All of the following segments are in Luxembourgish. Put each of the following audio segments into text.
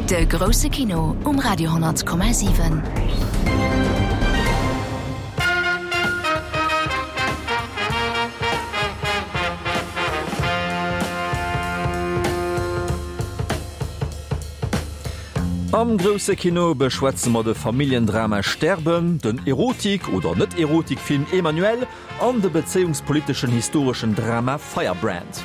De grousse Kino um Radio 10,7. Am grousse Kino beschwätze mer de Familljendrama Sterben, den Erotik oder Net-Erotik-Film Emmanuelle an de bezéiungspoliteschen historeschen Drama Firebrand.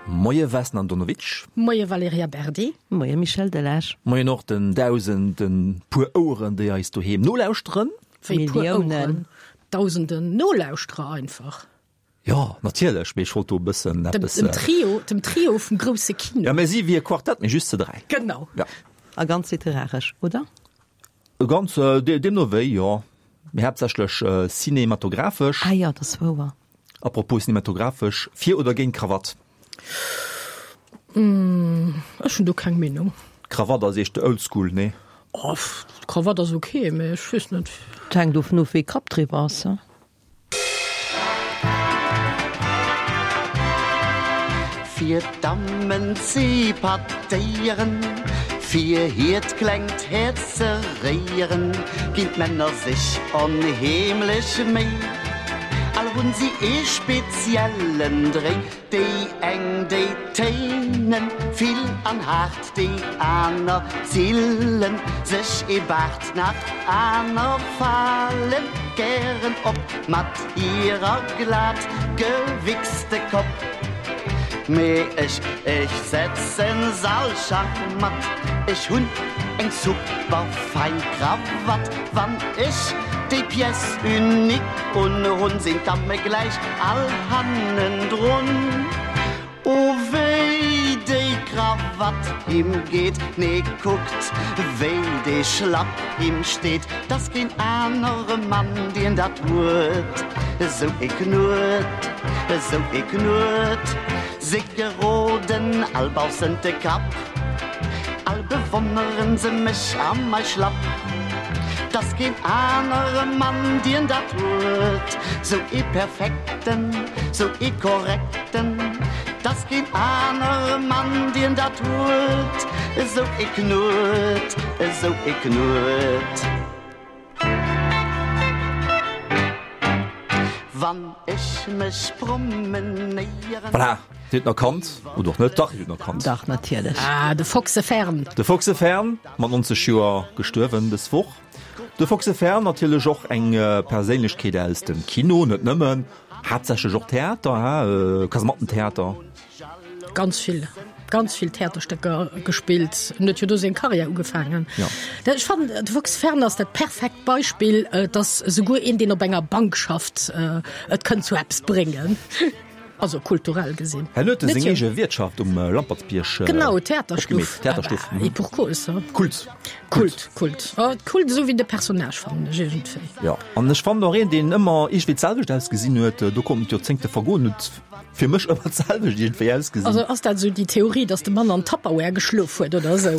Moie Vesna Andonovic. Moie Valerija Berdi. Moie Michel Delage. Moien och den dausenden puer Oueren, déi eis doheem nolauschteren. Wéi puer Oueren? Dausenden Nolauschterer einfach. Jo, natierlech, mee ech wollt do e bëssen eppes. Dem Trio, dem Trio vum grousse Kino. Ja, mir si wéi e Quartett, mee just ze 3. Genau. Ja. A ganz literaresch, oder? Ganz, deemno wéi, jo. Mee haaptsächlech cinematographesch. Ah jo, dat ass wouer. Apropos cinematographesch, fir oder géint Krawatt? Ech hunn do keng Meenung. Krawatt ass eescht oldschool, nee? Oh, Krawatt ass ok, mee ech weess net. Et hänkt dovun of, wéi Kapp driwwer ass, he? Fir d'Dammen ze patéieren, fir hiert klengt Häerz ze réieren, ginn d'Männer sech onheemlech Méi. All hunn si ee speziellen Dréi, déi eng déi téinen vill an haart, Déi aner zillen sech ee Baart, nach aner falen gären op mat hirer glat gewichste Kopp. Mee ech, ech setzen s'all schachmatt, ech hunn eng super fein Krawatt. Wann ech déi Pièce unique unhunn, sinn d'Damme gläich all hannendrun. O wéi déi Krawatt him geet, nee kuckt wéi dee Schlapp him steet, t'ass keen anere Mann dien dat huet, esou ee Knuet, esou ee Knuet. Se geroden all baussent de Kapp, all bewonneren se mech a mei Schlapp, t'ass keen anere Mann dien dat huet, sou ee perfekten, sou ee korrekten. 'Tass keen anere Mann, dien dat huet, esou ee Knuet, esou ee Knuet. Wann ech mech promenéieren. Voilà, Dir hutt en erkannt, oder och net? Dach, Dir hutt en erkannt. Dach, natierlech. Ah, de Foxe Fern. De Foxe Fern, mat 90 Joer gestuerwen dës Woch. De Foxe Fern, natierlech och eng Perséinlechkeet aus dem Kino, net nëmmen. Haaptsächlech och Theater, he? Kasemattentheater. Ganz vill, ganz vill Theaterstécker gespillt. En huet jo do seng Karriär ugefaangen. Ja. Dat, ech fannen, de Fox Fern ass dat perfekt Beispill, dass esouguer een, deen op enger Bank schafft, et kënnt zu eppes bréngen. Also kulturell gesinn. Hien huet seng eege Wiertschaft um Lampertsbierg Genau, Theaterstuff. Theaterstuff. Et pour cause. Kult. Kult, Kult. Oh, Kult esou wéi de Personnage fannen ech iergendwéi. Jo, an ech fannen och een, deen ëmmer iergendwéi d'selwecht ausgesinn huet, do konnten d'Joerzéngte vergoen, huet fir mech ëmmer d'selwecht iergendwéi ausgesinn. Also ass dat esou déi Theorie, datt de Mann an Tupperware geschlof huet oder esou?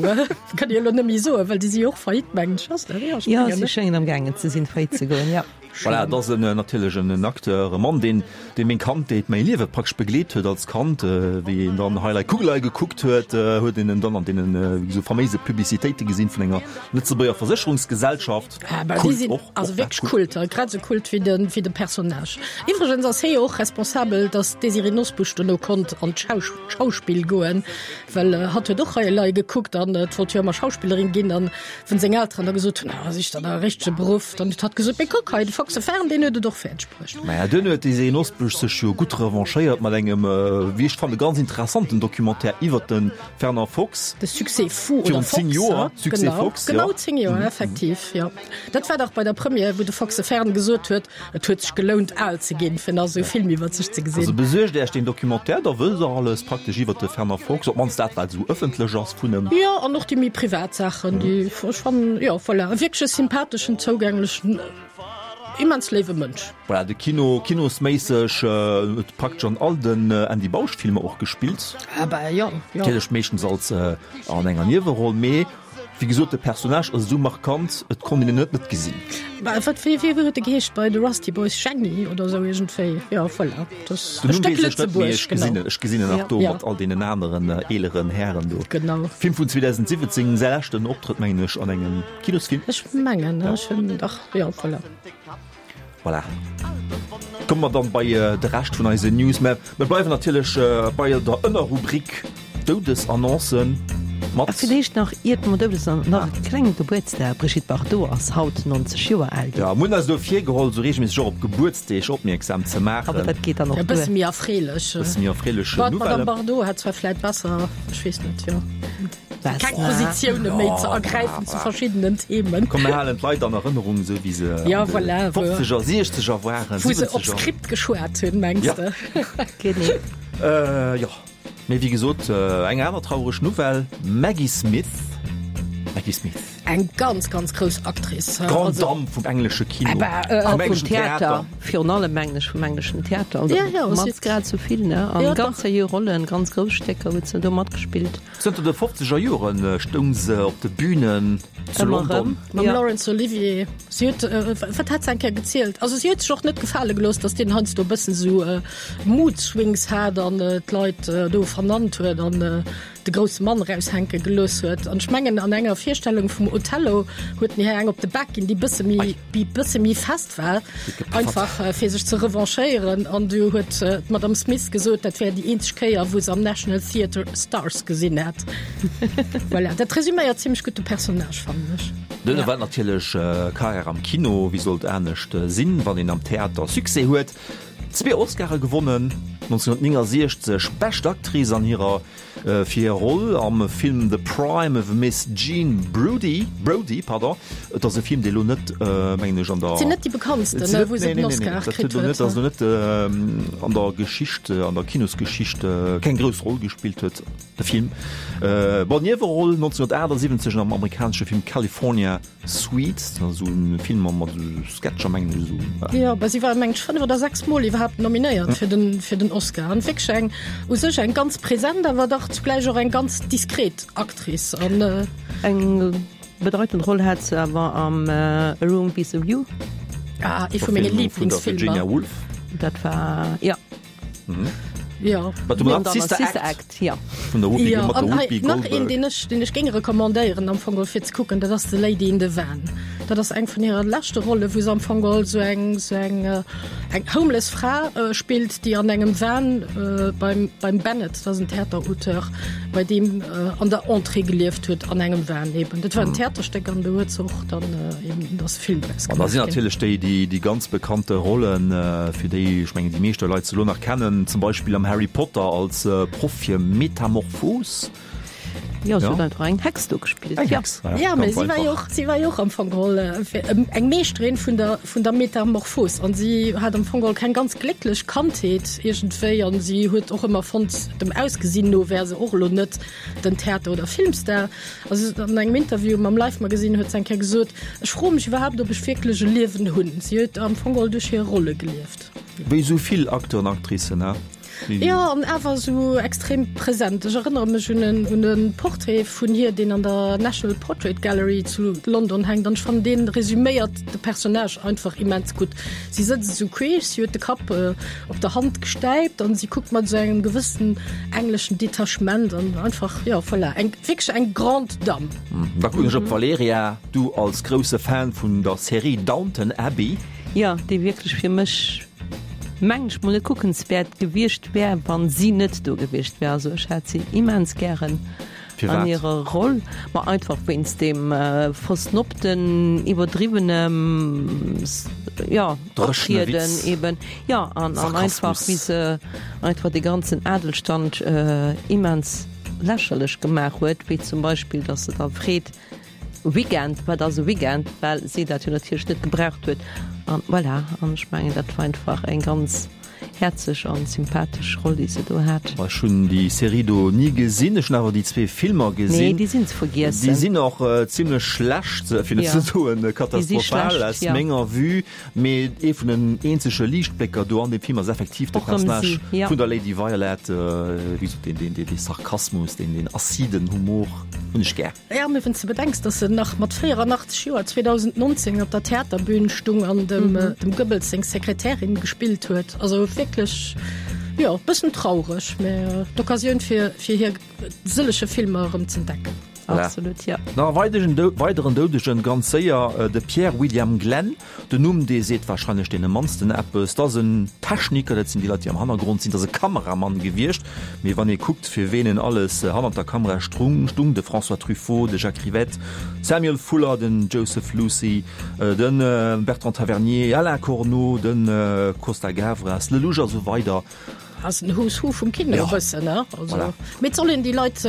Kënnt Dir elo net méi soen, well déi si jo och faillite, mengen ech. Ass dat? Jo, ech mengen, si schéngen am gaangen ze sinn, faillite ze goen, jo. Voilà, et ass en natierlech en Acteur, e Mann, deen, dee meng Kandheet, mäi Liewe praktesch begleet huet als Kand. Wéi een dann Hei Lei Kugelei gekuckt huet, huet een en dann an deenen, wéi gesot, faméise Publicitéite gesinn vun enger Lëtzebuerger Versécherungsgesellschaft. Ah, bah, déi sinn also wierklech Kult, grad esou Kult wéi de, wéi de Personnage. Iwwregens ass hie jo och responsabel, datt d'Désirée Nosbusch dono konnt an d'Schauspill goen, well hatt huet och Hei Lei gekuckt an et wollt jo ëmmer Schauspillerin ginn an Wën seng Elteren da gesot hunn, ah, sich der da e richtege Beruff, dann huet hatt gesot, mee kuck hei, de Foxe Fern, deen huet et och fäerdeg bruecht. Maja, duerno huet d'Désirée Nosbusch sech jo gutt revanchéiert mat engem, wéi ech fannen, ganz interessanten Documentaire iwwert de Fernand Fox. De Succès fou oder Virun Fox, 10 Joer, Succès genau, Fox, jo. Genau 10 Joer, effektiv, jo. Dat war dach bei der Première, wou de Foxe Fern gesot huet, Et huet sech gelount al ze ginn, fir nach esou e Film iwwer sech ze gesinn. Also besuergt Äech deen Documentaire, da wësst Der alles praktesch iwwer de Fernand Fox, op d'mannst dat, wat esou ëffentlech ass vun em. Jo, an och déi méi privat Saachen, déi ech fannen, jo, voilà, e wierklech e sympatheschen, zougänglechen, immens léiwe Mënsch. Voilà, de Kino, kinosméisseg huet praktesch an all den Andy Bausch-Filmer och gespillt. Ah bah jo, jo. Natierlech meeschtens als an enger Nieweroll, mee. Wéi gesot, de Personnage ass esou markant, et konnt een en net net gesinn. Bah, wat, wéi, wéi huet e geheescht bei The Rusty Boys? Jenny oder esou iergendwéi? Jo, voilà. Das Den Numm weess ech net, mee ech gesinn en, ech gesinn en nach do mat all deenen aneren eeleren Hären do. Genau. Film vun 2017, säi leschten Optrëtt, mengen ech, an engem Kinosfilm. Ech mengen, ech hunn dach, jo, voilà. Voilà. Komme mer dann bei de Rescht vun eisen News. Mä mir bleiwen natierlech bei der Ënnerrubrik Doudesannoncen mat. A villäicht nach, iert mer Doudesannoncen, nach e klenge Gebuertsdag, D'Brigitte Bardot ass haut 90 Joer al ginn. Jo, mir hunn eis elo virgeholl, esou reegelméisseg och op Gebuertsdeeg opmierksam ze maachen. Awer dat geet dann och duer. E bësse méi erfreelech. E bësse méi erfreelech Nouvellen. D'Madame Bardot hätt zwar vläicht besser, ech weess net, jo. Keng Positioune méi ze ergräifen zu verschiddenen Themen. Komm mir halen d'Leit an Erënnerung, esou wéi se ja, voilà, an de 50er, 60er waren, wou se op Skript geschwat hunn, mengs de? Genee. Jo, mee wéi gesot, eng aner traureg Nouvelle, Maggie Smith, Maggie Smith. Eng ganz, ganz grouss Actrice. D'Grande Dame vum englesche Kino, vum engleschen Theater. Virun allem mengen ech vum engleschen Theater. Ja, ja, mat grad sou vill, ne? An ganz seriö Rollen, ganz grouss Stécker huet se do matgespillt. Zënter de fofzeger Jore stoung se op de Bünen zu London. Mam Laurence Olivier. Si huet, wat hat se eng Kéier gezielt? Also si huet sech och net gefale gelooss, datt deen heiansdo e bëssen esou Mood Swings hat an d'Leit do vernannt huet an de grousse Mann eraushänke gelooss huet. An ech mengen, an enger Virstellung vum Othello huet en hir eng op de Bak ginn, déi bësse méi, déi bësse méi fest war, einfach fir sech ze revanchéieren. An du huet d'Madame Smith gesot, dat wär déi eenzeg Kéier, wou se am National Theatre Stars gesinn hätt. Voilà, dat resüméiert zimmlech gutt de Personnage, fannen ech. Duerno war natierlech Karriär am Kino, wéi sollt anescht sinn, wann een am Theater Succès huet. Zwee Oscare gewonnen, 1969 Bescht Actrice an hirer fir hir Roll am Film The Prime of Miss Jean Brodie, Brodie, pardon. Et ass e Film, dee lo net, mengen ech, an der. Et sinn net déi bekanntsten, ne, wou se den Oscar kritt huet. Dat ass lo net an der Geschicht, an der Kinosgeschicht keng grouss Roll gespillt huet, de Film. Bon, Nieweroll 1978 am amerikanesche Film California Suite, dat ass esou e Film mat esou Sketcher, mengen ech esou. Jo, bah si war mengen ech 5 oder 6 Mol iwwerhaapt nominéiert fir den fir den Oscar an wierklech eng u sech eng ganz present, awer dach zugläich och eng ganz diskret Actrice an. Eng bedeitend Roll hat se awer am A Room with a View. Ah, ee vu menge Liiblingsfilmer. Virginia Woolf. Dat war, jo. Jo. Mat dem An Sister Sister Act Act, ja. vun der Whoopi, Jo, mat der an hei Whoopi nach een, Goldberg. deen ech, deen ech géing recommandéieren am Fong geholl fir ze kucken, dat ass The Lady in the Van. Dat ass eng vun hire leschte Rolle, wou se am Fong geholl sou eng, sou eng, eng homeless Fra spillt, déi an engem Van beim, beim Bennett, dat ass en Theaterauteur, bei deem an der Entrée gelieft huet, an engem Van eben. Dat war en Theaterstéck an do huet se och dann eben, dat ass e Film draus An da gemaach sinn ginn. natierlech déi, déi, déi ganz bekannte Rollen, fir déi, ech mengen, déi meeschte Leit se elo nach kennen, zum Beispill am Harry Potter als Proff fir Metamorphos. Jo, se huet einfach eng Hex do gespillt. Eng Hex, ja. Ja, mä si war jo och, si war jo och am Fong geholl eng Meeschterin vun der, vun der Metamorphos an si hat am Fong geholl keng ganz glécklech Kandheet iergendwéi an si huet och ëmmer fonnt, dem Ausgesinn no wär se och elo net den Theater oder Filmstar. Also an engem Interview mam Life Magazine huet se eng Kéier gesot, Ech froe mech iwwerhaapt, ob ech wierklech e Liewen hunn. Si huet am Fong geholl duerch hir Rolle gelieft. Wéi esou vill Acteuren, Actricen, he? Jo, an awer esou extrem present. Ech erënnere mech un en, un e Portrait vun hir, deen an der National Portrait Gallery zu London hänkt, an ech fannen, dee resüméiert de Personnage einfach immens gutt. Si sëtzt esou queesch, si huet de Kapp op der Hand gestäipt an si kuckt mat esou engem gewëssen engleschen Detachement an einfach, jo, voilà, eng, wierklech eng grande Dame. Da kucken ech op d'Valerija, du als grousse Fan vun der Serie Downton Abbey. Jo, déi wierklech fir mech, mengen ech mol, net kuckenswäert gewiescht wär, wann si net do gewiescht wär. Also ech hat si immens gären an hirer Roll, ma einfach wéinst deem versnobten, iwwerdriwwenem, jo, Optrieden eben, jo, an einfach wéi se einfach dee ganzen Adelstand immens lächerlech gemaach huet, wéi zum Beispill, datt se da freet, Weekend, wat ass e Weekend, well si dat jo natierlech net gebraucht huet. An voilà, an ech mengen, dat war einfach eng ganz. Häerzeg an sympathesch Roll déi se do hat. Ech hunn déi Serie do ni gesinn, ech hunn awer déi zwee Filmer gesinn. Nee, déi sinn ze vergiessen. Déi sinn och zimlech schlecht, fir net ze soen katastrophal aus menger Vue. Mee ee vun den eenzege Liichtblécker do an deem Film ass effektiv de Personnage vun der Lady Violet. Wéi gesot, deen, deen Sarkasmus, deen aciden Humor hunn ech gär. Jo, mee wann s de bedenks, dass se nach mat 84 Joer 2019 op der Theaterbün stung an dem dem Goebbels seng Sekretärin gespillt huet, also wierklech, jo, bëssen traureg, mä d'Occasioun fir fir hir sëllege Filmer erëm z'entdecken. Voilà. Absolut, jo. Nach e weidegen weideren Doudegen, ganz séier, de Pierre William Glenn. Den Numm, dee seet warscheinlech deene mannsten eppes. Dat ass en Techniker, dat sinn déi Leit, déi am Hannergrond sinn. Dat ass e Kameramann gewiescht. Mee wann ee kuckt, fir ween en alles hannert der Kamera strung, stung, de François Truffaut, de Jacques Rivette, Samuel Fuller, den Joseph Losey, de Bertrand Tavernier, Alain Corneau, de Costa Gavras, Lelouch a sou weider. Ass en Who's Who vum Kino e bëssen, ne? Also, Voilà. mee et soll een déi Leit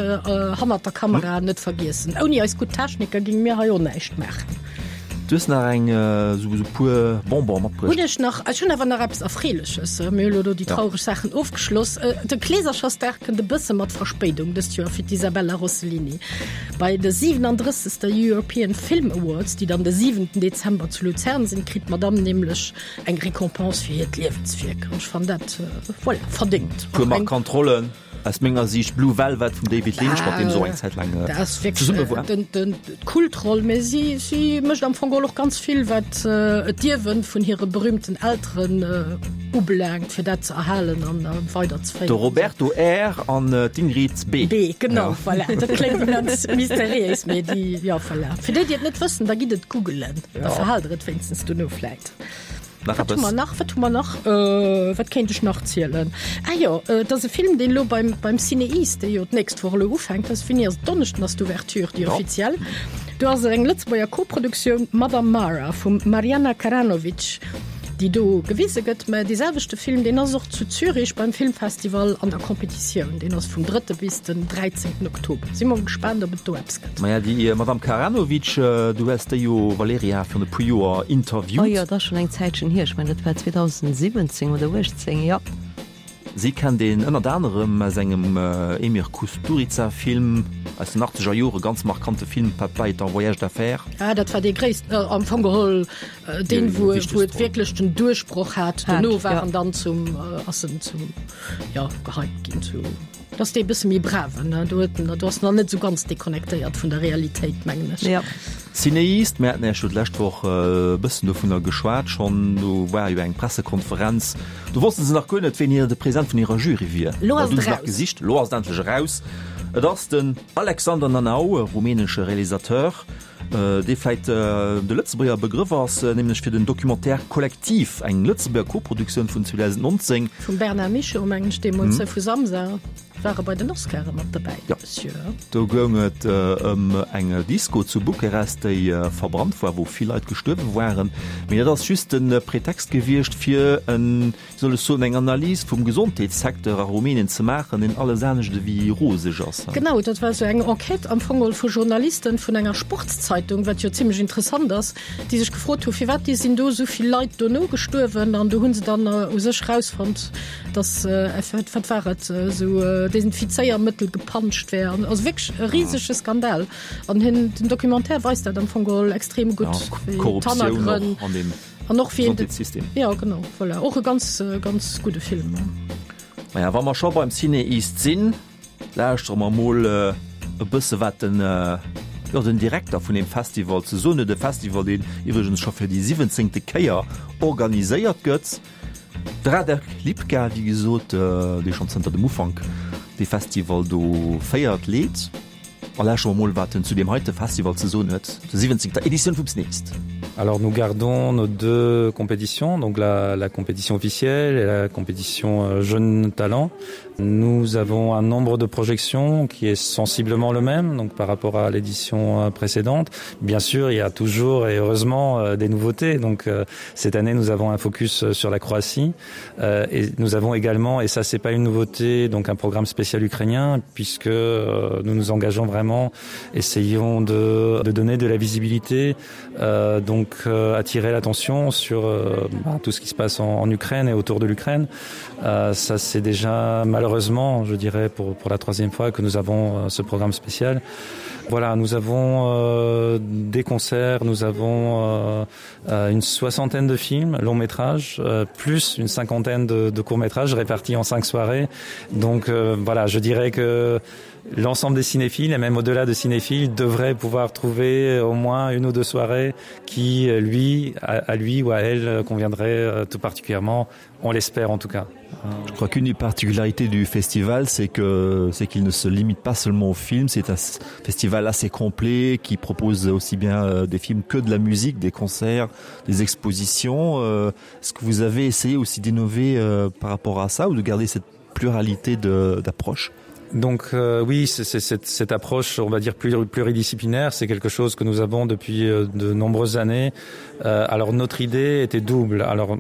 hannert der Kamera net vergiessen. Ouni eis gutt Techniker géinge mir hei och näischt maachen. Du hues nach eng esou esou puer Bonbon matbruecht. Hunn ech nach. Ech hunn awer nach eppes Erfreeleches. Mir hu lo do déi traureg Saachen ofgeschloss. De Kleeserchersdag kënnt e bësse mat Verspéidung dëst Joer fir d'Isabella Rossellini. Bei de 37. European Film Awards, déi dann de 7. Dezember zu Luzern sinn, kritt d'Madamm nämlech Eng Récompense fir hiert Liewenswierk an ech fannen dat, voilà, verdéngt. Puer markant Rollen aus menger Siicht, Blue Velvet vum David Lynch, mat deem se och eng Zäit laang zesumme war. Dat ass wierklech d'Kultroll, mä si si mécht am Fong geholl och ganz vill, wat d'Ierwen vun hire berühmten Elteren ubelaangt, fir dat ze erhalen an weiderzeféieren. De Roberto R. an d'Ingrid B. B, genau, voilà. Dat kléngt immens mysteriéis, mä déi, jo, voilà. Fir déi, déi et net wëssen, da gitt et googelen, da verhaalt der et wéinstens dono vläit. Nach Wat hu eppes? mer nach? Wat hu mer nach? Äh, wat kéint ech nach zielen? Ah jo, äh, et ass e Film, deen elo beim, beim CinEast, dee jo d'nächst Woch elo ufänkt, ass, wéini ass et? Donneschden ass d'Ouverture, déi Ja. offiziell. Do ass et eng Lëtzebuerger Koproduktioun, Madame Mara vum Mariana Karanovic, déi do gewise gëtt. Mä dee selwechte Film, deen ass och zu Zürich beim Filmfestival an der Competitioun. Deen ass vum drëtte bis den 13. Oktober. Si mer gespaant, ob et do eppes gëtt. Maja, déi Madame Karanovic, du hues déi jo, Valerija, virun e puer Joer interviewt. Oh jo, dat ass schonn eng Zäitchen hier. Ech mengen, dat war 2017 oder 18, jo. Si kennt een ënnert anerem aus engem Emir Kusturica-Film aus den achtzeger Jore, ganz markante Film, Papa est en voyage d'affaires. Ah, dat war dee gréissten, am Fong geholl deen, wou wou et wierklech den Duerchbroch hat. Dono war en dann zum, ass en zum, jo, gehypt ginn zu. Dat ass dee bësse méi braven, ne? Do huet en, do ass en nach net esou ganz deconnectéiert vun der Realitéit, mengen ech. Ja. Cineast, mir haten Iech jo d'lescht Woch e bëssen dovunner geschwat schonn, do war jo eng Pressekonferenz, do wosste se nach guer net, ween hir de President vun hirer Jury wier. Lo ass Dat et hu se nach eraus. gesicht, lo ass et endlech eraus. Et ass den Alexander Nanau, e rumänesche Realisateur, dee vläit de Lëtzebuerger Begrëff ass, nämlech fir den Documentaire Kollektiv, eng Lëtzebuerger Koproduktioun vun 2019. Vum Bernard Michaux, mengen ech, deemools, vu Samsa, war e bei den Oscare mat dobäi, Jo, Monsieur. do goung et ëm eng Disco zu Bukarest, déi verbrannt war, wou vill Leit gestuerwe waren. Mee dat ass just de Pretext gewiescht, fir en soll ech soen, eng Analys vum Gesondheetssecteur a Rumänien ze maachen, deen alles anescht ewéi roseg ass. Genau, dat war esou eng Enquête am Fong geholl vu Journalisten vun enger Sportszeitung, wat jo zimlech interessant ass, déi sech gefrot hu firwat déi sinn do esou vill Leit dono gestuerwen. An do hu se dann u sech erausfonnt, datt, wat war et, esou Desinfizéiermëttel gepanscht wär. Also wierklech e risege Skandal. An hien, den Documentaire weist dat am Fong geholl extrem gutt, wéi D'Korruptioun och an deem. An och wéi Gesondheetssystem. Ja genau, voilà. Och e ganz ganz gudde Film. Maja, wa mer scho beim CinEast sinn, lauschtere mer mol e bësse wat den, jo, den Direkter vun deem Festival ze soen huet. E Festival, deen iwwregens scho fir déi siwwenzéngte Kéier organiséiert gëtt. De Radek Lipka, wéi gesot, dee schonn zënter dem Ufank dee Festival do féiert, leet. A lauschteren mer mol wat en zu deem heite Festival ze soen huet, der 17. Editioun vum CinEast. Alors nous gardons nos deux compétitions, donc la, la compétition officielle et la compétition euh, jeune talent. Nous avons un nombre de projections qui est sensiblement le même donc par rapport à l'édition euh, précédente. Bien sûr, il y a toujours et heureusement euh, des nouveautés. Donc euh, cette année nous avons un focus euh, sur la Croatie euh, et nous avons également et ça c'est pas une nouveauté donc un programme spécial ukrainien puisque euh, nous nous engageons vraiment. vraiment essayons de, de donner de la visibilité, euh, donc euh, attirer l'attention sur euh, bah, tout ce qui se passe en, en Ukraine et autour de l'Ukraine. Euh, ça c'est déjà malheureusement, je dirais pour, pour la troisième fois que nous avons euh, ce programme spécial. Voilà, nous avons euh, des concerts, nous avons euh, euh, une soixantaine de films long métrage euh, plus une cinquantaine de, de courts métrages répartis en cinq soirées. Donc euh, voilà, je dirais que l'ensemble des cinéphiles et même au-delà de cinéphiles devraient pouvoir trouver au moins une ou deux soirées qui euh, lui à, à lui ou à elle euh, conviendrait euh, tout particulièrement on l'espère en tout cas. Je crois qu'une des particularités du festival, c'est que c'est qu'il ne se limite pas seulement au film, c'est un festival assez complet qui propose aussi bien euh, des films que de la musique, des concerts, des expositions. Euh, est-ce que vous avez essayé aussi d'innover euh, par rapport à ça ou de garder cette pluralité d'approches? Donc euh, oui, c'est cette, cette approche, on va dire pluridisciplinaire, c'est quelque chose que nous avons depuis euh, de nombreuses années. Euh, alors notre idée était double. Alors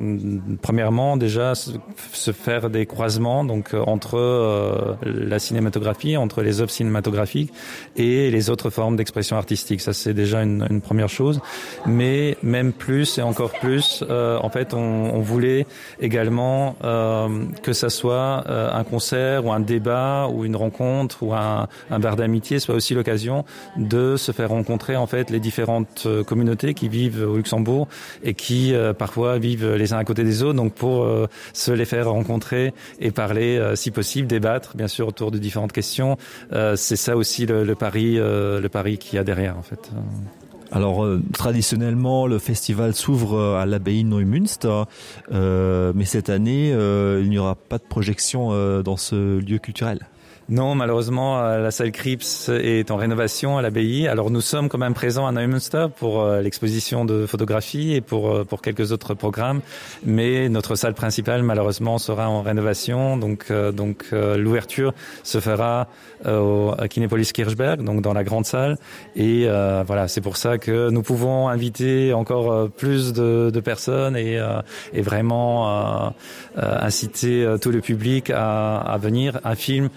premièrement déjà se faire des croisements donc euh, entre euh, la cinématographie, entre les œuvres cinématographiques et les autres formes d'expression artistique. Ça c'est déjà une, une première chose. Mais même plus et encore plus, euh, en fait on, on voulait également euh, que ça soit euh, un concert ou un débat ou une rencontre ou un, un bar d'amitié soit aussi l'occasion de se faire rencontrer en fait les différentes euh, communautés qui vivent au Luxembourg et qui euh, parfois vivent les uns à côté des autres donc pour euh, se les faire rencontrer et parler euh, si possible débattre bien sûr autour de différentes questions euh, c'est ça aussi le, le pari euh, le pari qui a derrière en fait. Alors euh, traditionnellement le festival s'ouvre euh, à l'abbaye Neumünster euh, mais cette année euh, il n'y aura pas de projection euh, dans ce lieu culturel. Non, malheureusement, euh, la salle Crips est en rénovation à l'abbaye. Alors nous sommes quand même présents à Neumünster pour euh, l'exposition de photographie et pour, euh, pour quelques autres programmes. Mais notre salle principale, malheureusement, sera en rénovation. Donc, donc l'ouverture se fera au Kinépolis Kirchberg, donc dans la grande salle. Et euh, voilà, c'est pour ça que nous pouvons inviter encore plus de, de personnes et, et vraiment euh, inciter tout le public à, à venir. Un film,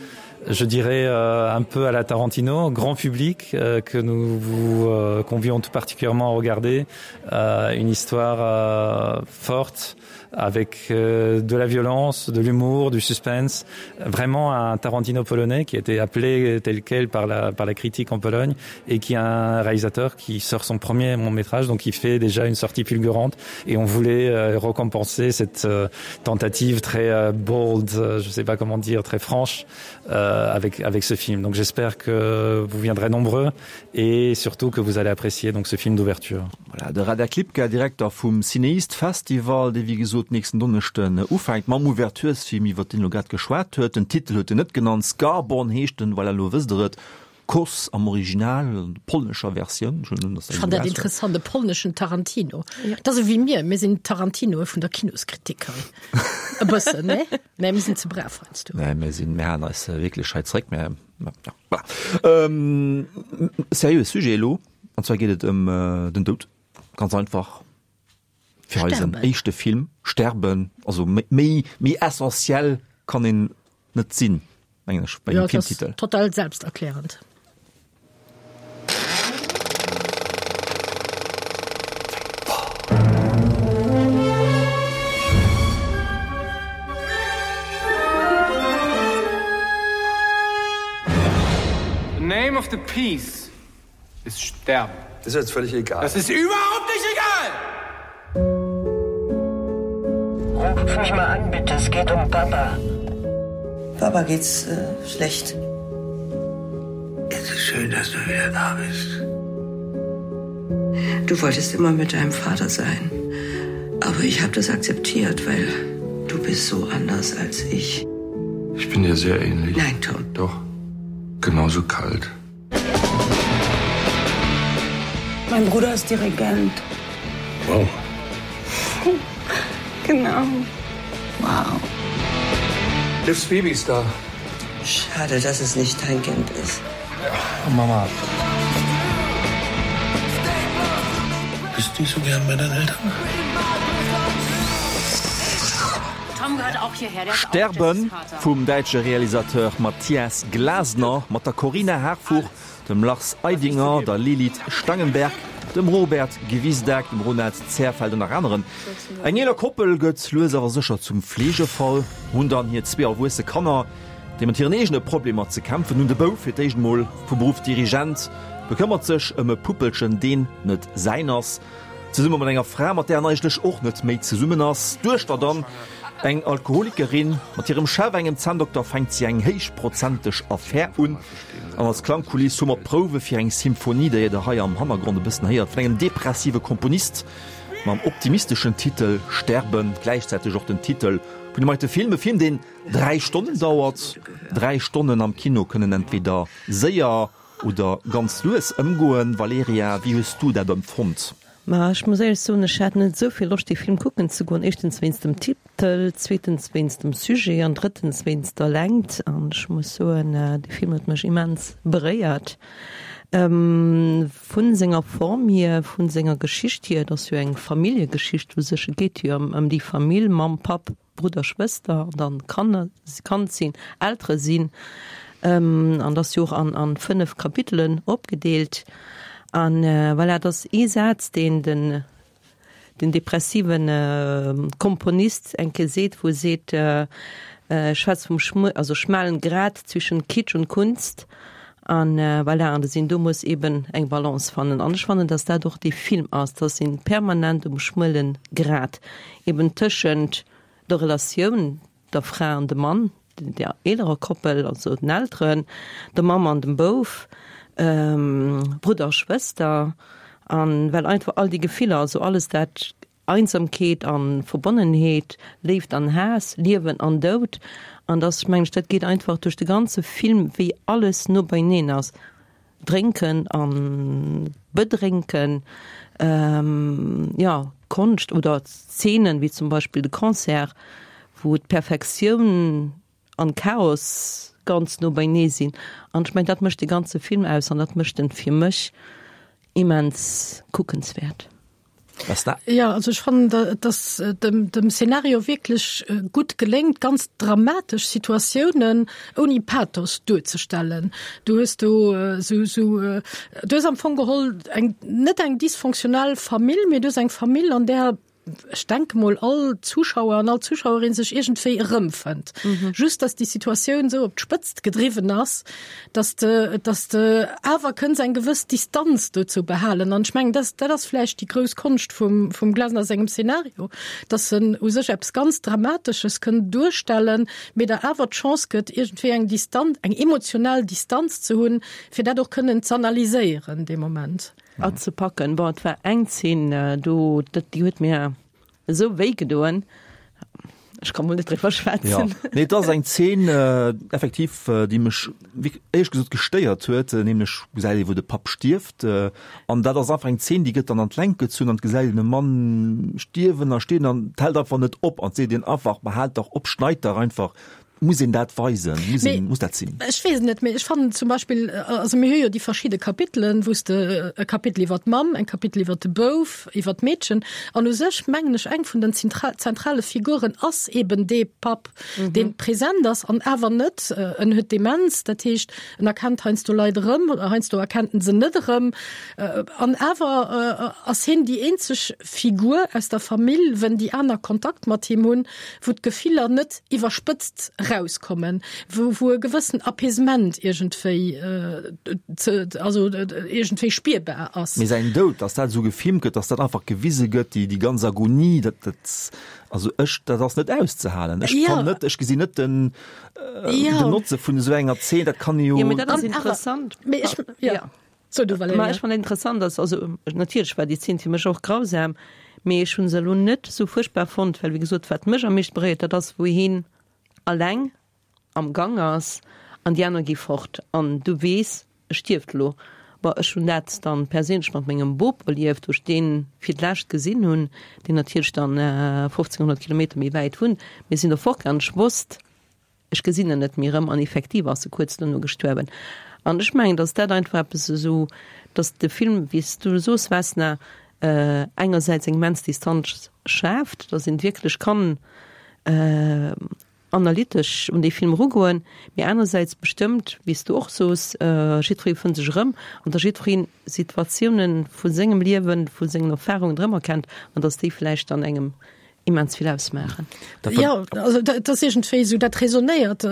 je dirais euh, un peu à la Tarantino, grand public euh, que nous vous euh, convions tout particulièrement à regarder euh, une histoire euh, forte avec euh, de la violence, de l'humour, du suspense, vraiment un Tarantino polonais qui a été appelé tel quel par la, par la critique en Pologne et qui est un réalisateur qui sort son premier long métrage, donc il fait déjà une sortie fulgurante et on voulait euh, récompenser cette euh, tentative très euh, bold, euh, je sais pas comment dire, très franche euh, avec, avec ce film. Donc j'espère que vous viendrez nombreux et surtout que vous allez apprécier donc ce film d'ouverture. Voilà, de Radek Lipka, Direkter vum CinEast Festival, dee wéi gesot nächsten Donneschden ufänkt mam Ouverturesfilm, iwwer deen elo grad geschwat huet. Den Titel huet en net genannt, Scarborn heescht en, voilà, elo wësst der et. Kos am Original, an der polnescher Versioun. Ech huelen un, dass dat Ech fannen dat interessant, e polneschen Tarantino. Dat ass ewéi mir, mir sinn d'Tarantinoe vun der Kinoskritik hei. E bëssen, ne? Mä mir sinn ze brav heiansdo. Nee, mir sinn, mir halen eis wierklech hei zeréck, mä ja, voilà. Seriöe Sujet elo, an zwar geet et ëm den Doud, ganz einfach. Fir eisen éischte Film Sterben, also méi méi essentiell kann een net sinn, mengen ech, bei engem Filmtitel. Total selbsterklärend. The name of the peace ist sterben. Das ist jetzt völlig egal. Das ist überhaupt nicht egal! Ruf mich mal an, bitte. Es geht um Papa. Papa geht's äh, schlecht. Es ist schön, dass du wieder da bist. Du wolltest immer mit deinem Vater sein. Aber ich habe das akzeptiert, weil du bist so anders als ich. Ich bin dir sehr ähnlich. Nein, Tom. Doch. Genauso kalt. Mein Bruder ist Dirigent. Wow. Genau. Wow. Livs Baby ist da. Schade, dass es nicht dein Kind ist. Ja, Mama. Bist du nicht so gern bei deinen Eltern? Sterben vum däitsche Realisateur Matthias Glasner mat der Corinna Harfouch, dem Lars Eidinger, der Lilith Stangenberg, dem Robert Gwisdek, dem Ronald Zehrfeld an nach aneren. Eng eeler Koppel gëtt lues awer sécher zum Fleegefall, hunn dann hir zwee erwuesse Kanner, déi mat hiren eegene Problemer ze kämpfen hunn. De Bouf, fir d'éischt mol vu Beruff Dirigent, bekëmmert sech ëm e Puppelchen, deen net säin ass. Zesumme mat enger Fra, mat där en eigentlech och net méi zesummen ass. D'Duechter dann, eng Alkoholikerin. Mat hirem Chef, engem Zänndokter, fänkt si eng héichprozenteg Affär un. An als Klangkuliss hu mer d'Prouwe fir eng Symphonie, déi der hei am Hannergrond e bëssen héiert, vun engem depressive Komponist mam optimisteschen Titel Sterben, gläichzäiteg och den Titel vun dem heite Film. E Film, deen 3 Stonnen dauert. 3 Stonnen am Kino kënnen entweder séier Oder ganz lues ëmgoen. Valerija, wéi hues du dat empfonnt? Ma ech muss éierlech soen, ech hat net esou vill Loscht dee Film kucken ze goen. Éischtens wéinst dem Titel, zweetens wéinst dem Sujet an drëttens wéinst der Längt. An ech muss soen, dee Film huet mech immens beréiert. Vun senger Form hier, vun senger Geschicht hier, et ass jo eng Familljegeschicht u sech, et geet jo ëm déi Famill, Mamm, Papp, Brudder, Schwëster an dann Kanner, Kand sinn, Eltere sinn. An dat ass jo och an, an 5 Kapitelen opgedeelt. An voilà, et ass ee Saz, deen den, den depressive Komponist eng Kéier seet, wou e seet, schwätzt vum schmu-, also schmalen Grat zwischen Kitsch und Kunst. An voilà, an dass een do muss eben eng Balance fannen. An ech fannen, dass dat och dee Film ass, dass een permanent um schmuelen Grat eben tëschent der Relatioun der Fra an dem Mann, der eelerer Koppel, also den Elteren, der Mamm an dem Bouf, Brudder a Schwëster, an well einfach all déi Gefiller, also alles dat Einsamkeet an Verbonnenheet, Léift an Haass, Liewen an Doud. An dass, mengen ech, dat geet einfach duerch de ganze Film, wéi alles no beineen ass. Drénken an Bedrénken, jo, Konscht oder Szenen, wéi zum Beispill de Concert, wou d'Perfektioun an Chaos ganz no beinee sinn. An ech mengen, dat mécht de ganze Film aus an dat mécht en fir mech immens kuckenswäert. Was da? Ja, also ech fannen, dass dem, dem Szenario wierklech gutt geléngt, ganz dramatesch Situatiounen ouni Pathos duerzestellen. Du hues do sou, sou, du hues am Fong geholl eng, net eng dysfonctionnel Famill, mee du hues eng Famill, an där, ech denke mol, all Zuschauer an all Zuschauerin sech iergendwéi erëmfënnt. Just, dass déi Situatioun esou op d'Spëtzt gedriwwen ass, dass de, dass de awer kënns eng gewëss Distanz dozou behalen. An ech mengen, dat, dat ass vläicht déi grouss Konscht vum, vum Glasner sengem Szenario, dass en u sech eppes ganz Dramatesches kënn duerstellen, mee der awer d'Chance gëtt, iergendwéi eng Distanz, eng emotional Distanz ze hunn, fir dat och kënnen z'analyséieren dee Moment. Azepacken. Bon, et war eng Zeen do, dat, déi huet mir esou wéi gedoen. Ech ka mol net driwwer schwätzen. Ja. Nee, et ass eng Zeen effektiv, déi mech éierlech gesot gestéiert huet, nämlech gesäit ee wou de Papp stierft an dat ass einfach eng Zeen, déi gëtt dann an d'Längt gezunn an et gesäit een e Mann stierwen a stierwen an et hält einfach net op an et seet een einfach, ma haalt dach op, schneit dach einfach Muss een dat weisen? Muss een, muss dat sinn? Ech weess et net, mee ech fannen zum Beispill, also mir hu jo déi verschidde Kapitelen, wou s de e Kapitel iwwer d'Mamm, en Kapitel iwwer de Bouf, iwwer d'Meedchen, an u sech mengen ech eng vun den zentrale Figuren ass eben dee Papp, dee present ass an awer net, en huet Demenz, dat heescht en erkennt heiansdo Leit erëm, heiansdo erkennt en se net erëm, an awer ass hien déi eenzeg Figur aus der Famill, wenn déi aner Kontakt mat him hunn, wou d'Gefiller net iwwerspëtzt rauskommen, wou, wou e gewëssen Apaisement iergendwéi ze, also iergendwéi spierbar ass. Mee säin Doud, dass dat esou gefilmt gëtt, dass dat einfach gewise gëtt, déi, déi ganz Agonie, dat, dat, also ech, dat ass net auszehalen. Ech kann net, ech gesinn net den, den Notze vun esou enger Zeen, dat kann ee jo. Jo, mee dat ass interessant. Mee ech, jo. So, du Valerija. Ma ech fannen interessant, dass, also natierlech war déi Zeen fir mech och grausam, mee ech hunn se elo net esou fuerchtbar fonnt, well wéi gesot, wat mech am meeschte beréiert, dat ass wou hien alleng am Gang ass an déi aner gi fort an du weess, e stierft elo. Bon, ech hunn dat dann perséinlech mat mengem Bop erlieft, wou ech dee fir d'lescht gesinn hunn, deen natierlech dann 1500 Kilometer méi wäit wunnt. Mir sinn do fortgaangen, ech wosst, Ech gesinn en net méi erëm an effektiv ass e kuerz dono gestuerwen. An ech mengen, datt dat einfach eppes esou, datt de Film, wéi s du soos, Vesna, engersäits eng immens Distanz schaaft, datt een wierklech kann. Analytesch un dee Film erugoen, mee anersäits bestëmmt, wéi s du och soos, jiddweree fënnt sech erëm an datt jiddweree Situatiounen vu sengem Liewen, vu sengen Erfarungen erëmerkennt an datt déi vläicht dann engem immens vill ausmaachen. Jo, also dat ass iergendwéi esou, dat resonéiert,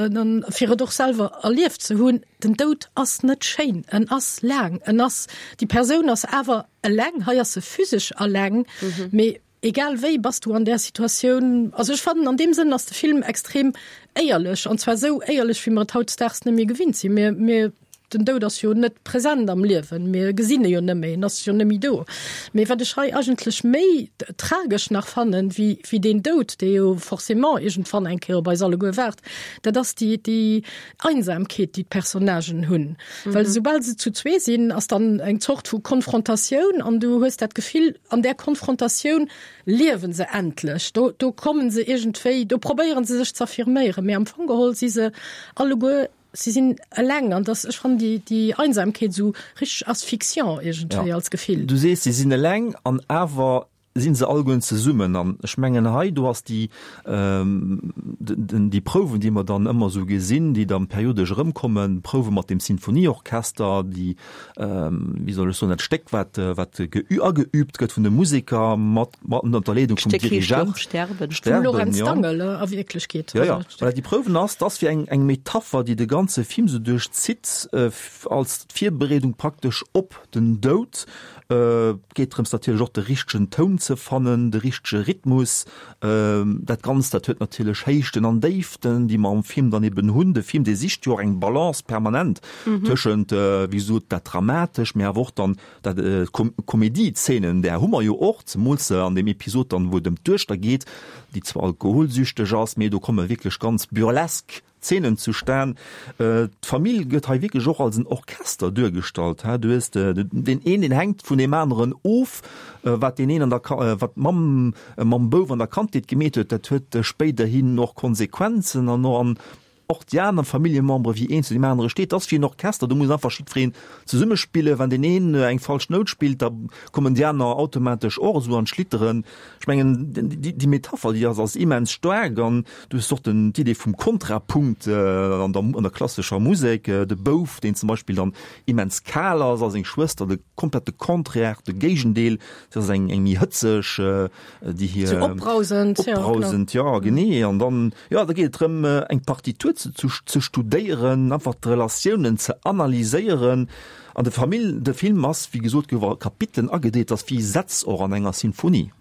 fir et och selwer erlieft ze hunn, den Doud ass net schéin, en ass laang, en ass, déi Persoun ass awer eleng, hei ass se physesch eleng, mee Egal wéi bass du an där Situatioun. Also ech fannen an deem Sënn ass de Film extrem éierlech, an zwar esou éierlech wéi mer et hautdesdaags net méi gewinnt sinn. Mir, mir, den Doud ass jo net present am Liewen, mir gesinn e jo net méi, en ass jo net méi do. Mee wat ech hei eigentlech méi tragesch nach fannen, wéi, wéi deen Doud, dee jo forcément iergendwann eng Kéier op eis alleguer waart, dat ass déi, déi Einsamkeet, déi d'Personnagen hunn. Well esoubal se zu zwee sinn, ass dann eng Zort vu Konfrontatioun an du hues dat Gefill, an där Konfrontatioun liewe se endlech. Do, do kommen se iergendwéi, do probéieren se sech z'affirméieren, mee am Fong geholl si se alleguer, si sinn eleng an dass, ech fannen déi, déi Einsamkeet esou richteg asphyxiant iergendwéi als Gefill. Du sees, si sinn eleng an awer sinn se allegueren zesummen an ech mengen hei do ass déi déi Prouwen déi mer dann ëmmer esou gesinn, déi dann periodesch erëmkommen, Prouwe mat dem Sinfonieorchester, déi wéi soll ech soen, dat Stéck wat wat ageübt gëtt vun de Museker mat mat ënner der Leedung vum Dirigent. Sterben. Vum Lorenz Dangel a Wierklechkeet. Jo, jo, voilà, déi Prouwen ass, dat ass wéi eng eng Metapher, déi de ganze Film esou duerchzitt als Virbereedung praktesch op den Doud. Et geet drëms natierlech och de richtegen Toun ze fannen, de richtege Rhythmus. Dat Ganzt, dat huet natierlech Héichten an Déiften, déi mer am Film dann eben hunn. De Film, dee sicht jo och eng Balance permanent tëschent, wéi gesot, dat Dramatesch, mee awer och dann dat Komedie-Zeenen, där hu mer jo och, zemools an deem Episod dann, wou et ëm d'Duechter geet, déi zwar alkoholsüchteg ass, mee do komme wierklech ganz burlesk Zeenen zustan. D'Famill gëtt hei wierklech och als en Orchester duergestallt. Du hues deen een, deen hänkt vun deem aneren of. Wat deen een an der, wat d'Mamm mam Bouf an der Kandheet gemeet huet, dat huet spéiderhin och Konsequenzen an och an och déi aner Familljemembere wéi een zu deem anere steet. Dat ass wéi en Orchester, do muss einfach jiddwereen zesummespillen. Wann deen een eng falsch Nout spillt, da kommen déi aner automatesch och esou an d'Schlitteren. Ech mengen, déi Metapher, déi ass ass immens staark an du hues och den d'Idee vum Kontrapunkt an der an der klassescher Musek, de Bouf, deen zum Beispill dann immens kal ass a seng Schwëster de komplette Contraire, de Géigendeel, si ass eng eng méi hëtzeg, déi hir. Sou opbrausend, jo, genau. Opbrausend, jo, genee. An dann, jo, da geet et drëm, eng Partitur ze ze studéieren, einfach d'Relatiounen ze analyséieren. An de Famill, de Film ass, wéi gesot, gouf a Kapitelen agedeelt, ass wéi Sätz och an enger Sinfonie.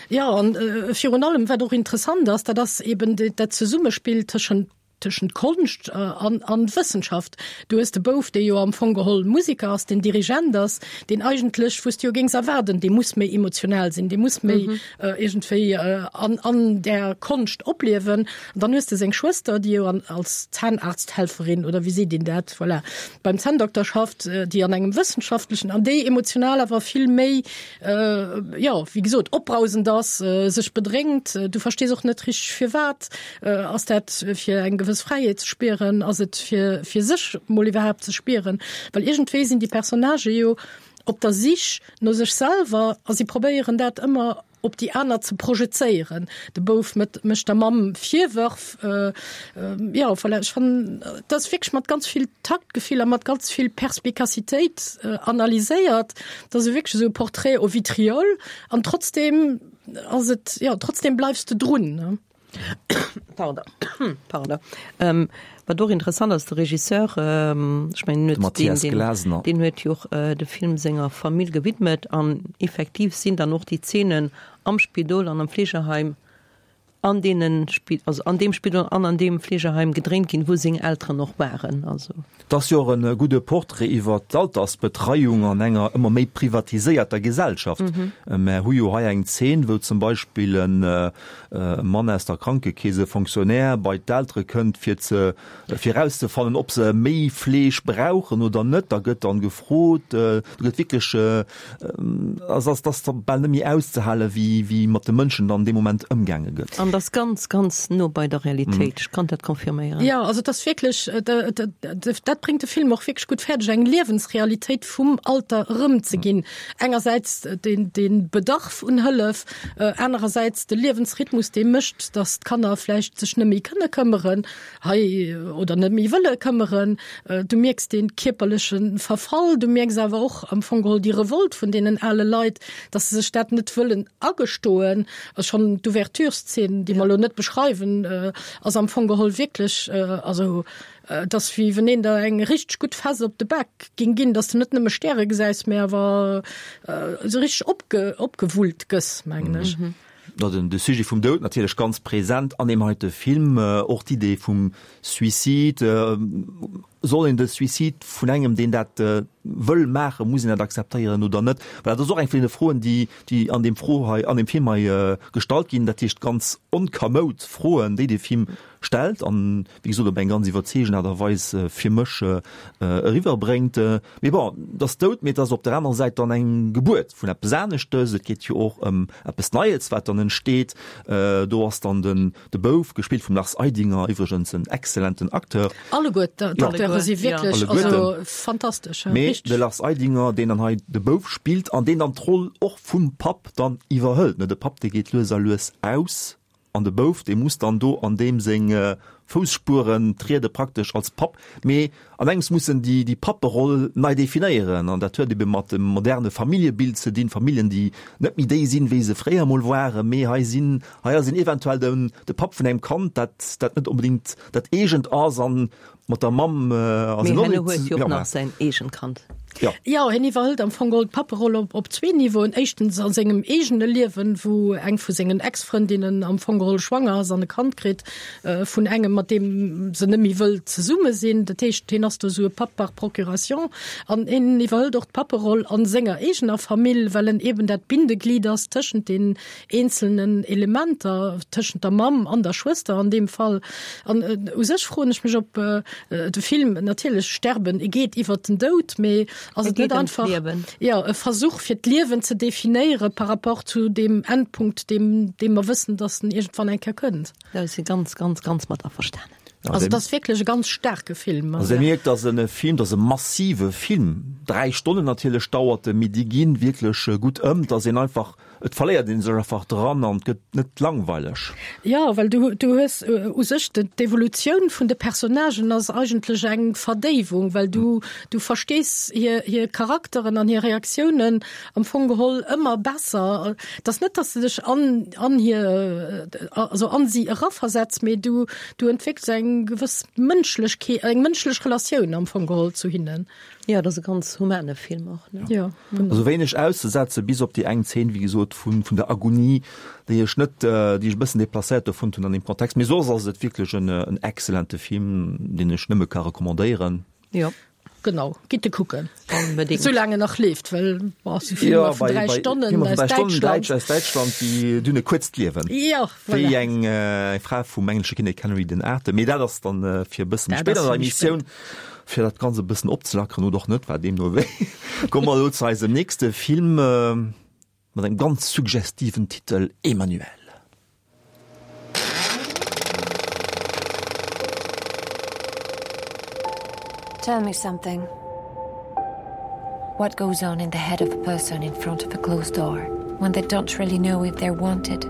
Jo, an virun allem, wat och interessant ass, dat ass eben dat Zesummespill tëschent tëschent Konscht an an Wëssenschaft. Du hues de Bouf, dee jo am Fong geholl Musiker ass, deen Dirigent ass, deen eigentlech, wou s de jo géings erwaarden, dee muss méi emotional sinn, dee muss méi iergendwéi an an där Konscht opliewen. An dann hues de seng Schwëster, déi jo an als Zahnarzthelferin, oder wéi seet een dat, voilà, beim Zänndokter schafft, déi an engem wëssenschaftlechen an déi emotional awer vill méi, jo, wéi gesot, opbrausend ass, sech bedrénkt. Du verstees och net richteg firwat. Ass dat fir eng gewëss Fräiheet ze spieren? Ass et fir fir sech mol iwwerhaapt ze spieren? Well iergendwéi sinn déi Personnagë jo op der Sich no sech selwer a si probéieren dat ëmmer op déi aner ze projezéieren. De Bouf mécht der Mamm Virwërf. Jo, voilà, ech fannen, dat ass wierklech mat ganz vill Taktgefill a mat ganz vill Perspikazitéit analyséiert. Dat ass wierklech esou e Portrait au vitriol an trotzdem ass et, jo, trotzdem bleifs de drun, ne? Pardon. Pardon. Ähm, wat och interessant ass, de Regisseur, ähm, ech mengen, den huet, den, den, den huet jo och äh, de Film senger Famill gewidmet an effektiv sinn dann och déi Zeenen am Spidol an am Fleegeheim an deenen Spi also an deem Spidol an an deem Fleegeheim gedréint ginn, wou seng Elteren och waren. Also. 't ass jo och e gudde Portrait iwwer d'Altersbetreiung an enger ëmmer méi privatiséierter Gesellschaft. Mär hu jo hei eng Zeen, wou zum Beispill e Mann aus der Krankekeess, e Fonctionnaire, bei d'Eltere kënnt, fir ze fir erauszefannen, ob se méi Fleeg brauchen oder net. Da gëtt dann gefrot, do gëtt wierklech, also ass, ass da bal net méi auszehalen, wéi wéi mat de Mënschen dann dee Moment ëmgaange gëtt. An dat ass ganz, ganz no bei der Realitéit. Ech kann dat confirméieren. Jo, also et ass wierklech, dat bréngt de Film och wierklech gutt fäerdeg, eng Liewensrealitéit vum Alter erëmzeginn. Engersäits dee Bedarf un Hëllef, anerersäits de Liewensrhythmus, dee mécht, datt d'Kanner vläicht sech net méi kënne këmmeren hei oder net méi wëlle këmmeren. Du mierks dee kierperleche Verfall, du mierks awer och am Fong geholl déi Revolt vun deenen ale Leit, datt se sech dat net wëllen agestoen. Schonn d'Ouvertureszeen, déi mer elo net beschreiwen, ass am Fong geholl wierklech, also et ass wéi wenn een der eng richteg gutt Fess op de Bak ging ginn, datt s de net nëmme Stäre gesäis, mä awer esou richteg opge opgewullt gëss, mengen ech. Jo, den de Sujet vum Doud natierlech ganz present an deem heite Film, och d'Idee vum Suicide. Soll een de Suicide vun engem, deen dat wëll maachen, muss een dat akzeptéieren oder net? Voilà, dat ass och eng vun deene Froen, déi, déi an deem Fro hei, an deem Film hei gestallt ginn. Dat heescht ganz onkamoud Froen, déi de Film stellt an, wéi gesot, op eng ganz iwwerzeegend Aart a Weis fir mech eriwwerbréngt. Mee bon, et ass dout, mee et ass op der anerer Säit dann eng Gebuert vun eppes aneschtes. Et geet jo och ëm eppes Neies, wat dann entsteet. Do ass dann den de Bouf, gespillt vum Lars Eidinger, iwwregens en exzellenten Acteur. Alleguer d'Acteure si wierklech also fantastesch. Mee de Lars Eidinger, deen dann hei de Bouf spillt an deen dann d'Roll och vum Papp dann iwwerhëlt, ne, de Papp, dee geet lues a lues aus an de Bouf, dee muss dann do an deem seng Foussspueren triede praktesch als Papp. Mee an engems muss en déi, déi Papperoll nei definéieren an dat huet ebe mat dem moderne Familljebild ze dinn, Familljen, déi net méi déi sinn, wéi se fréier emol waren, mee hei sinn, hei ass een eventuell den, de Papp vun engem Kand, dat, dat net onbedéngt dat eegent ass an mat der Mamm ass en och net. Mee hien huet jo och nach säin eegent Kand. Jo. Jo, hien iwwerhëlt am Fong geholl d'Papperoll op, op zwee Niveauen. Éischtens a sengem eegene Liewen, wou eng vu sengen Ex-Frëndinnen am Fong geholl schwanger ass an e Kand kritt vun engem, mat deem se net méi wëll zesumme sinn. Dat heescht, hien ass do esou e Papp par procuration. An hien iwwerhëlt och d'Papperoll a senger eegener Famill, well en eben dat Bindeglied ass tëschent den eenzelnen Elementer, tëschent der Mamm an der Schwëster an deem Fall. An u sech froen ech mech, ob de Film natierlech Sterben, e geet iwwert den Doud, mee ass et net einfach jo e Versuch fir d'Liewen ze definéiere par rapport zu deem Endpunkt, deem dee mer wëssen, datt en iergendwann eng Kéier kënnt. Da si ganz, ganz, ganz mat averstanen. Also et ass wierklech e ganz staarke Film. Also Dir mierkt, dass e Film, dass e massive Film, 3 Stonnen natierlech dauert e, mee déi ginn wierklech gutt ëm, dass een einfach, et verléiert ee sech einfach dran an et gëtt net langweileg. Jo, well du, du hues u sech d'Evolutioun vun de Personnagen ass eigentlech eng Verdéiwung, well du, du verstees hir, hir Charakteren an hir Reaktiounen am Fong geholl ëmmer besser. Et ass net, dass de dech an, an hir, also an si eraversetz, mee du, du entwéckels eng gewëss Mënschlechkeet, eng mënschlech Relatioun am Fong geholl zu hinnen. Jo, et ass e ganz humane Film och, ne? Jo. Also wéineg auszesetze bis op déi eng Zeen, wéi gesot, vun, vun der Agonie, déi ech net, déi ech e bëssen deplacéiert do fonnt hunn an deem Kontext. Mee soss ass et wierklech en, en excellente Film, deen ech nëmme ka recommandéieren. Jo. Genau, gitt e kucken. Onbedéngt. Soulaang en nach leeft, well boah, sou Filmer vun 3 Stonnen Filmer vun 3 Stonnen Däitsch, aus Däitschland, déi dunn e kuerzt Liewen. Jo, voilà. Wéi eng Fra vum englesche Kinnek Henry den Aachte. Mee dat ass dann fir e bësse méi spéit an der Emissioun, fir dat Ganzt e bëssen opzelackeren oder och net, war deemno wéi. Komme mer elo zu eisem nächste Film mat engem ganz suggestiven Titel, Emmanuelle. Tell me something. What goes on in the head of a person in front of a closed door when they don't really know if they're wanted?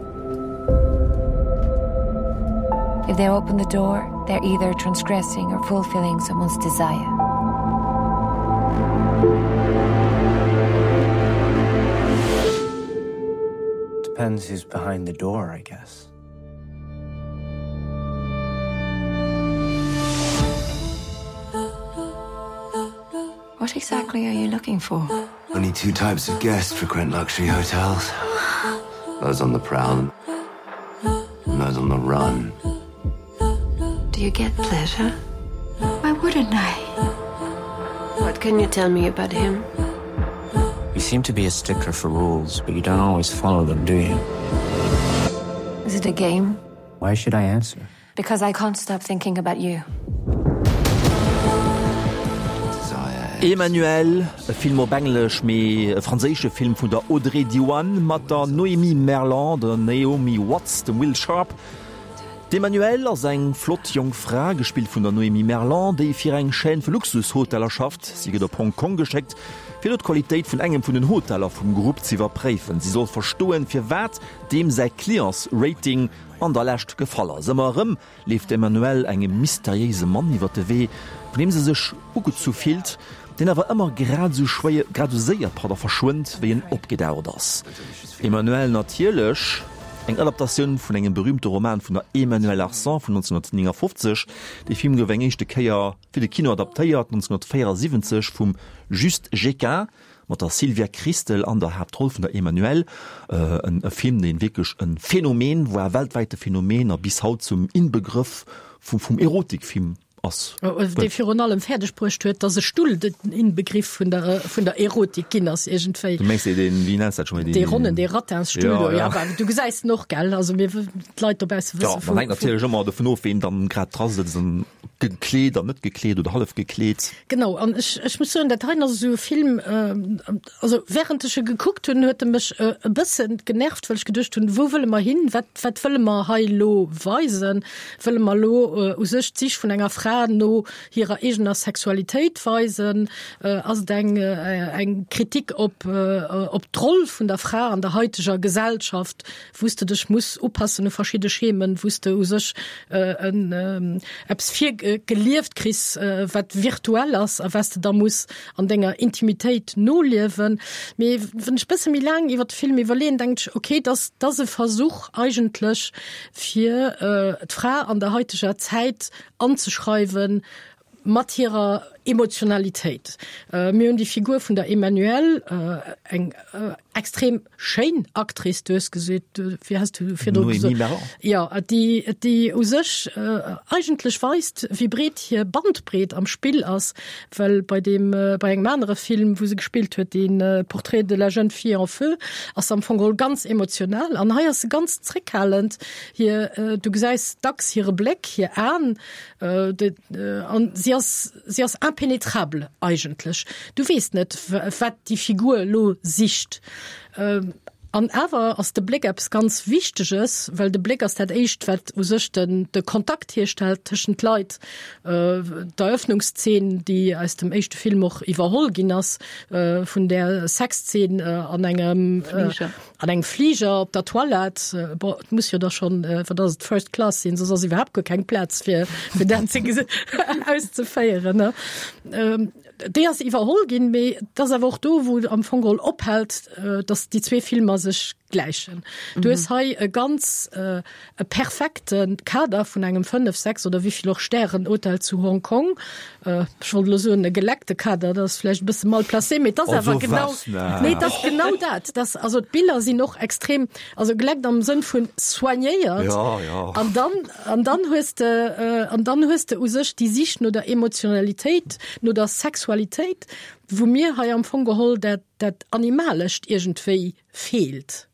If they open the door, they're either transgressing or fulfilling someone's desire. Depends who's behind the door, I guess. What exactly are you looking for? Only two types of guests frequent luxury hotels. Those on the prowl and those on the run. Do you get pleasure? Why wouldn't I? What can you tell me about him? You seem to be a stickler for rules, but you don't always follow them, do you? Is it a game? Why should I answer? Because I can't stop thinking about you. Desire. Emmanuelle, e Film op Englesch, mee e franséische Film vun der Audrey Diwan mat der Noémie Merlant, der Naomi Watts, dem Will Sharpe. D'Emmanuelle ass eng flott jonk Fra, gespillt vun der Noémie Merlant, déi fir eng Chaîne vu Luxushoteller schafft. Si gëtt op Hong Kong geschéckt, fir do d'Qualitéit vun engem vun den Hoteller vum Grupp z'iwwerpréifen. Si soll verstoen, firwat deem säi Clientsrating an der Lescht gefall ass. Ëmmer erëm leeft d'Emmanuelle engem mysteriéise Mann iwwer de Wee, vun deem se sech ugezu fillt, deen awer ëmmer grad esou schwéier, grad esou séier, pardon, verschwënnt, wéi en opgedaucht ass. Emmanuelle natierlech, eng Adaptatioun vun engem berühmte Roman vun der Emmanuelle Arsan vun 1959. Dee Film gouf eng éischte Kéier fir de Kino adaptéiert 1974 vum Juste Jéquin mat der Sylvia Kristel an der Haaptroll vun der Emmanuelle. E Film, dee wierklech e Phänomen war, weltwäite Phänomen a bis haut zum Inbegrëff vum Erotikfilm ass. Dee virun allem fäerdeg bruecht huet, datt e Stull den Inbegriff vun der vun der Erotik ginn ass iergendwéi. Du mengs dee, deen, wéi nenns dat scho méi? Dee ronnen, dee Rattinsstull do, jo, awer du gesäis en och, gell? Also mir, d'Leit dobausse wësse vun. Jo, dat hänkt natierlech ëmmer dovun of, ween dann grad dra sëtzt an gekleet an net gekleet oder hallef gekleet. Genau, an ech, ech muss soen, dat heien ass esou e Film, also während ech e gekuckt hunn, huet e mech e bësse genervt, well ech geduecht hunn, wou wëlle mer hin, wat, wat wëlle mer hei elo weisen? Wëlle mer elo u sech d'Sich vun enger Fra no hirer eegener Sexualitéit weisen? Ass et eng, eng Kritik op, op d'Roll vun der Fra an der haiteger Gesellschaft, wou s de dech muss upassen u verschidde Schemen, wou s de u sech en eppes virgelieft kriss, wat virtuell ass a wat s de da muss an denger Intimitéit noliewen. Mee wann ech bësse méi laang iwwer de Film iwwerleeën, denken ech, okay, dass dass e Versuch eigentlech fir d'Fra an der haiteger Zäit anzeschreiwen mat hirer Emotionalitéit. Mir hunn déi Figur vun der Emmanuelle, eng extrem schéin Actrice, du hues gesot, wéi has du virdru gesot? Noémie Merlant. Jo, déi, déi u sech eigentlech weist, wéi breet hir Bandbreet am Spill ass, well bei deem, bei engem anere Film, wou se gespillt huet, dee Portrait de la jeune fille en feu, ass se am Fong geholl ganz emotional an hei ass se ganz zréckhalend. Hir, du gesäis dacks hire Bléck, hir Aen, An si ass, si ass impénétrable eigentlech. Du weess net, wat déi Figur elo sicht. An awer ass de Bléck eppes ganz Wichteges, well de Bléck ass dat Éischt, wat u sech den, de Kontakt hierstellt tëschent Leit. D'Eröffnungszeen, déi aus dem éischte Film och iwwerholl ginn ass, vun där Sexzeen an engem Fliger. An engem Fliger op der Toilette, bon, et muss jo da schonn, wat ass et, First Class sinn, soss ass iwwerhaapt guer keng Plaz fir, fir dat ze auszeféieren, ne? Déi ass iwwerholl ginn, mee et ass awer och do, wou am Fong geholl ophält, datt déi zwee Filmer sech gläichen. Du hues hei e ganz, e perfekte Kader vun engem 5, 6 oder wéivill och Stären Hotel zu Hong Kong. Ech wollt elo soen e geleckte Kader, dat ass vläicht e bësse mal placé, mee et ass awer genau, nee, et ass genau dat. Dat also d'Biller sinn och extrem, also geleckt am Sënn vun soignéiert. Ja, ja. An dann, an dann hues de, an dann hues de u sech déi Sich no der Emotionalitéit, no der Sexualitéit, wou mir hei am Fong geholl dat, dat Animalescht iergendwéi feelt.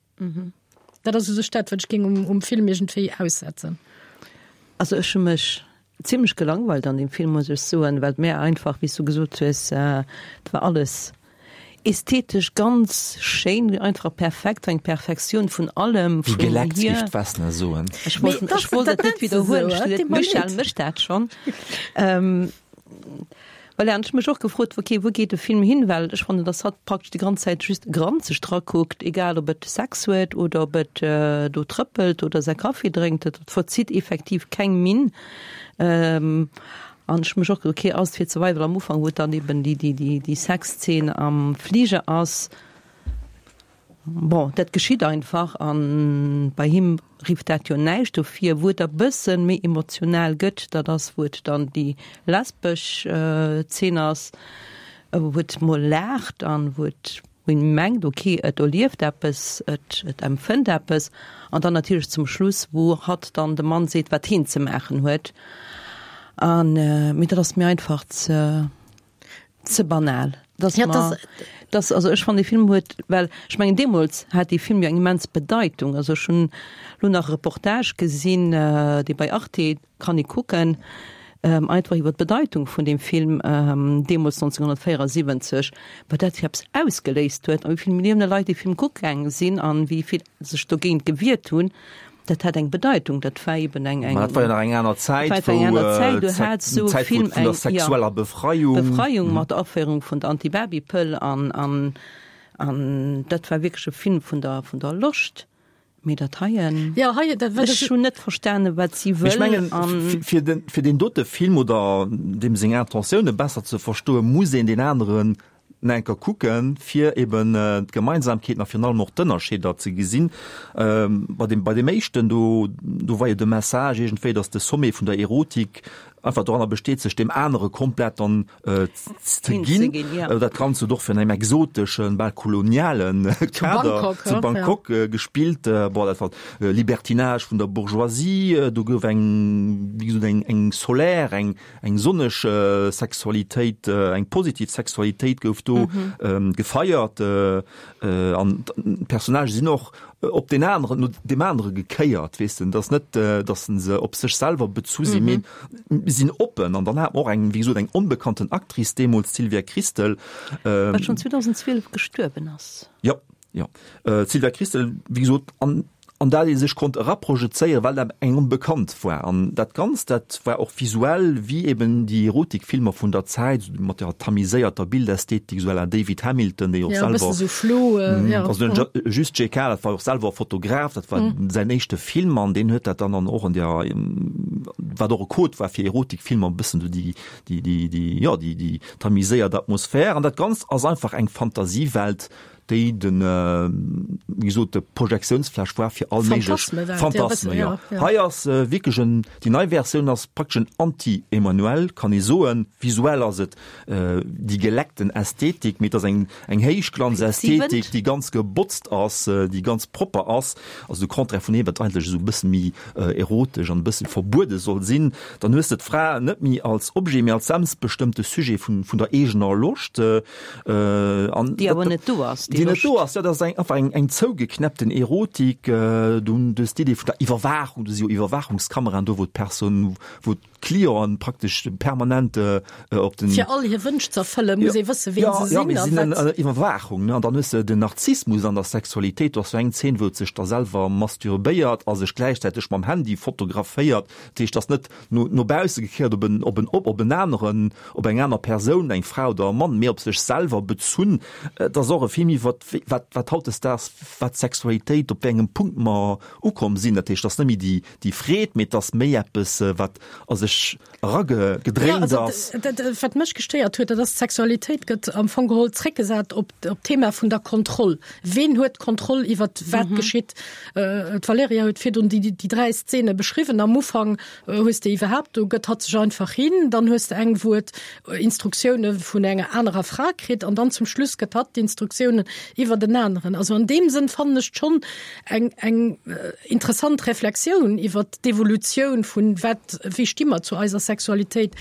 Dat ass u sech dat, wat ech géing um, um Film iergendwéi aussetzen. Also ech hu mech zimlech gelangweilt an deem Film, muss ech soen, well et mir einfach, wéi s du gesot hues, et war alles ästhetesch ganz schéin, einfach perfekt, eng Perfektioun vun allem, Wéi vun geleckt, hier. géif d'Vesna soen. Ech wollt, Mee ech wollt dat et net nenns de esou, widderhuelen, et ech deet mer Michèle leed. mécht dat schonn. Voilà, an ech hu mech och gefrot, ok, wou geet de Film hin, well ech fannen, dass hatt praktesch déi ganz Zäit just granzeg drakuckt, egal ob et Sex huet oder ob et do trëppelt oder säi Kaffi drénkt, et verzitt effektiv keng Minn. An ech hu mech och gefrot, ok, ass et fir Survival am Ufank, wou et dann eben déi, déi, déi, déi Sexzeen am Fliger ass, Bon, dat geschitt einfach an bei him rifft dat jo näischt dofir. Wou et e bëssen méi emotional gëtt, dat ass wou et dann déi lesbesch Zeen ass, wou et mol laacht an wou et wou een mengt ok et erlieft eppes, et et empfënnt eppes an dann natierlech zum Schluss wou hatt dann dem Mann seet wat heen ze maachen huet an mee dat ass mir einfach ze Ze banal. Dass Ja, mer, dass- dass, also ech fannen, dee Film huet, well ech mengen deemools hat dee Film jo eng immens Bedeitung. Also ech hunn elo nach e Reportage gesinn, dee bei Arte, kann ee kucken, Einfach iwwer d'Bedeitung vun deem Film deemools 1974, wat dat fir eppes ausgeléist huet a wéi vill Millioune Leit dee Film kucke gaange sinn an wéi vill sech dogéint gewiert hunn. Dat hat eng Bedeitung, dat war eben eng, eng. Mä dat war jo nach eng aner Zäit, wou eng aner Zäit, du hat esou e Film vun der sexueller Befreiung. Befreiung mat der Aféierung vun der Anti-Baby-Pëll an, an, an dat war wierklech e Film vun der, vun der Loscht. Mee dat heien, ja, hei, dat, ech hunn net verstane wat si wëll. Ech mengen, fir den, fir deen dote Film oder deem seng Intentioune besser ze verstoen, muss een deen aneren enker kucken, fir eben d'Gemeinsamkeeten a virun allem och d'Ënnerscheeder ze gesinn. Bei deem, bei deem éischten do, do war jo de Message iergendwéi, datt de Sommet vun der Erotik einfach doranner besteet, sech deem anere komplett dann ze ginn. Dat Ganzt huet och fir engem exoteschen, bal kolonialen Kader zu Bangkok gespillt. Bon, dat war Libertinage vun der Bourgeoisie, do gouf eng, wéi gesot, eng, eng solaire, eng, eng sonneg Sexualitéit, eng positiv Sexualitéit gouf do gefeiert. An d'Personnagë sinn och op deen aneren, no deem anere gekéiert, weess de. Et ass net, datt se op sech selwer bezu sinn, mee sinn oppen. An dann hat mer och eng, wéi gesot, eng onbekannten Actrice deemools, d'Sylvia Kristel. Wat schonn 2012 gestuerwen ass. Jo, jo. D'Sylvia Kristel, wéi gesot, an an dat ee sech konnt eraprojezéieren, well dat eng Onbekannt war. An dat Ganzt, dat war och visuell wéi eben déi Erotikfilmer vun der Zäit, mat der tamiséierter Bildästhetik, esou à la David Hamilton, dee jo och selwer, ja, e bëssen esou flou, ja, also den Just JK, dat war jo och selwer Fotograf, dat war säin éischte Film an deen huet dat dann an och an der, wat och e Code war fir Erotikfilmer, e bëssen esou déi, déi, déi, déi, jo, déi, déi tamiséiert Atmosphär. An dat Ganzt ass einfach eng Fantasiewelt, déi den, wéi gesot, de Projektiounsfläch war fir all méiglech Phantasmen, jo. Hei ass wierklech en, déi nei Versioun ass praktesch en Anti-Emmanuelle, kann ee soen. Visuell ass et déi geleckten Ästhetik, mee et ass eng, eng Héichglanzästhetik, déi ganz gebotzt ass, déi ganz propper ass, also de Contraire vun deem, wat eigentlech esou e bësse méi erotesch an e bësse verbuede soll sinn. Dann hues de d'Fra net méi als Objet, mee als selbstbestëmmte Sujet vun, vun der eegener Loscht. An déi awer net do ass, déi net do ass, ja, dat ass eng, einfach eng, eng zougeknäppten Erotik. Du hues d'Idee vun der Iwwerwaachung, do si jo Iwwerwaachungskameraen do, wou d'Persoun, wou d'Clienten praktesch permanent op den. Fir all hir Wënsch ze erfëllen, muss ee wëssen, ween se sinn. Ja, mir sinn an Iwwerwaachung, ne? An dann hues de den Narzissmus an der Sexualitéit. Do ass sou eng Zeen, wou et sech da selwer masturbéiert a sech gläichzäiteg mam Handy fotograféiert. Dat heescht, ass net no, no bausse gekéiert op en, op en, op en aneren, op eng aner Persoun, eng Fra oder e Mann, mee op sech selwer bezunn. Et ass och e Film iwwer wat, wat hautdesdaags, wat d'Sexualitéit, op wéi engem Punkt mer ukomm sinn. Dat heescht, et ass net méi déi, déi Freed, mee et ass méi eppes, wat a sech eragedréint ass. Ja, also dat, wat mech gestéiert huet, dat ass, d'Sexualitéit gëtt am Fong geholl zréckgesat op, op d'Thema vun der Kontroll. Ween huet d'Kontroll iwwer wat geschitt? D'Valerija huet virdrun déi, déi dräi Szene beschriwwen. Am Ufank hues de iwwerhaapt, do gëtt hatt sech einfach hin, dann hues de eng, wou et Instruktioune vun enger anerer Fra kritt an dann zum Schluss gëtt hatt d'Instruktiounen iwwer en aneren. Also an deem Sënn fannen ech schonn eng, eng interessant Reflexioun iwwer d'Evolutioun vun wat, wéi sti mer zu eiser Sexualitéit.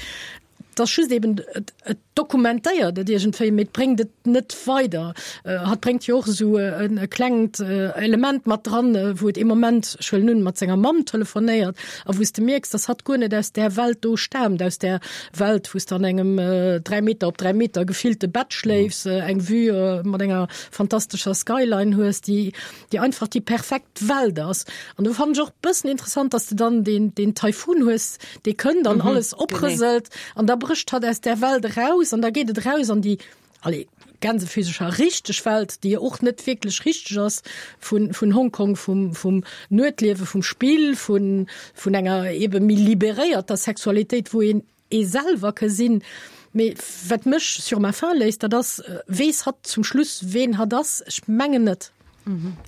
Et ass just eben, et, et dokumentéiert et iergendwéi, mee et bréngt et net weider. Hatt bréngt jo och esou e klengt Element mat dran, wou et ee Moment, ech huelen un, mat senger Mamm telefonéiert a wou s de mierks, dass hatt guer net aus där Welt do staamt, aus där Welt, wou s de an engem 3 Meter op 3 Meter gefillte Bett schléifs, eng Vue mat enger fantastescher Skyline hues, déi déi einfach déi perfekt Welt ass. An do fannen ech och bëssen interessant, dass de dann deen, deen Taifun hues, dee kënnt an alles oprëselt an da brécht hatt aus där Welt eraus an da geet et eraus an déi, allez, gänsefüsecher richteg Welt, déi jo och net wierklech richteg ass, vun, vun Hongkong, vum, vum Nuetliewe, vum Spill, vun, vun enger ebe méi liberéierter Sexualitéit, wou een ee selwer ke sinn. Mee wat mech sur ma faim léisst, dat ass, Weess hatt zum Schluss, ween hatt ass? Ech mengen net.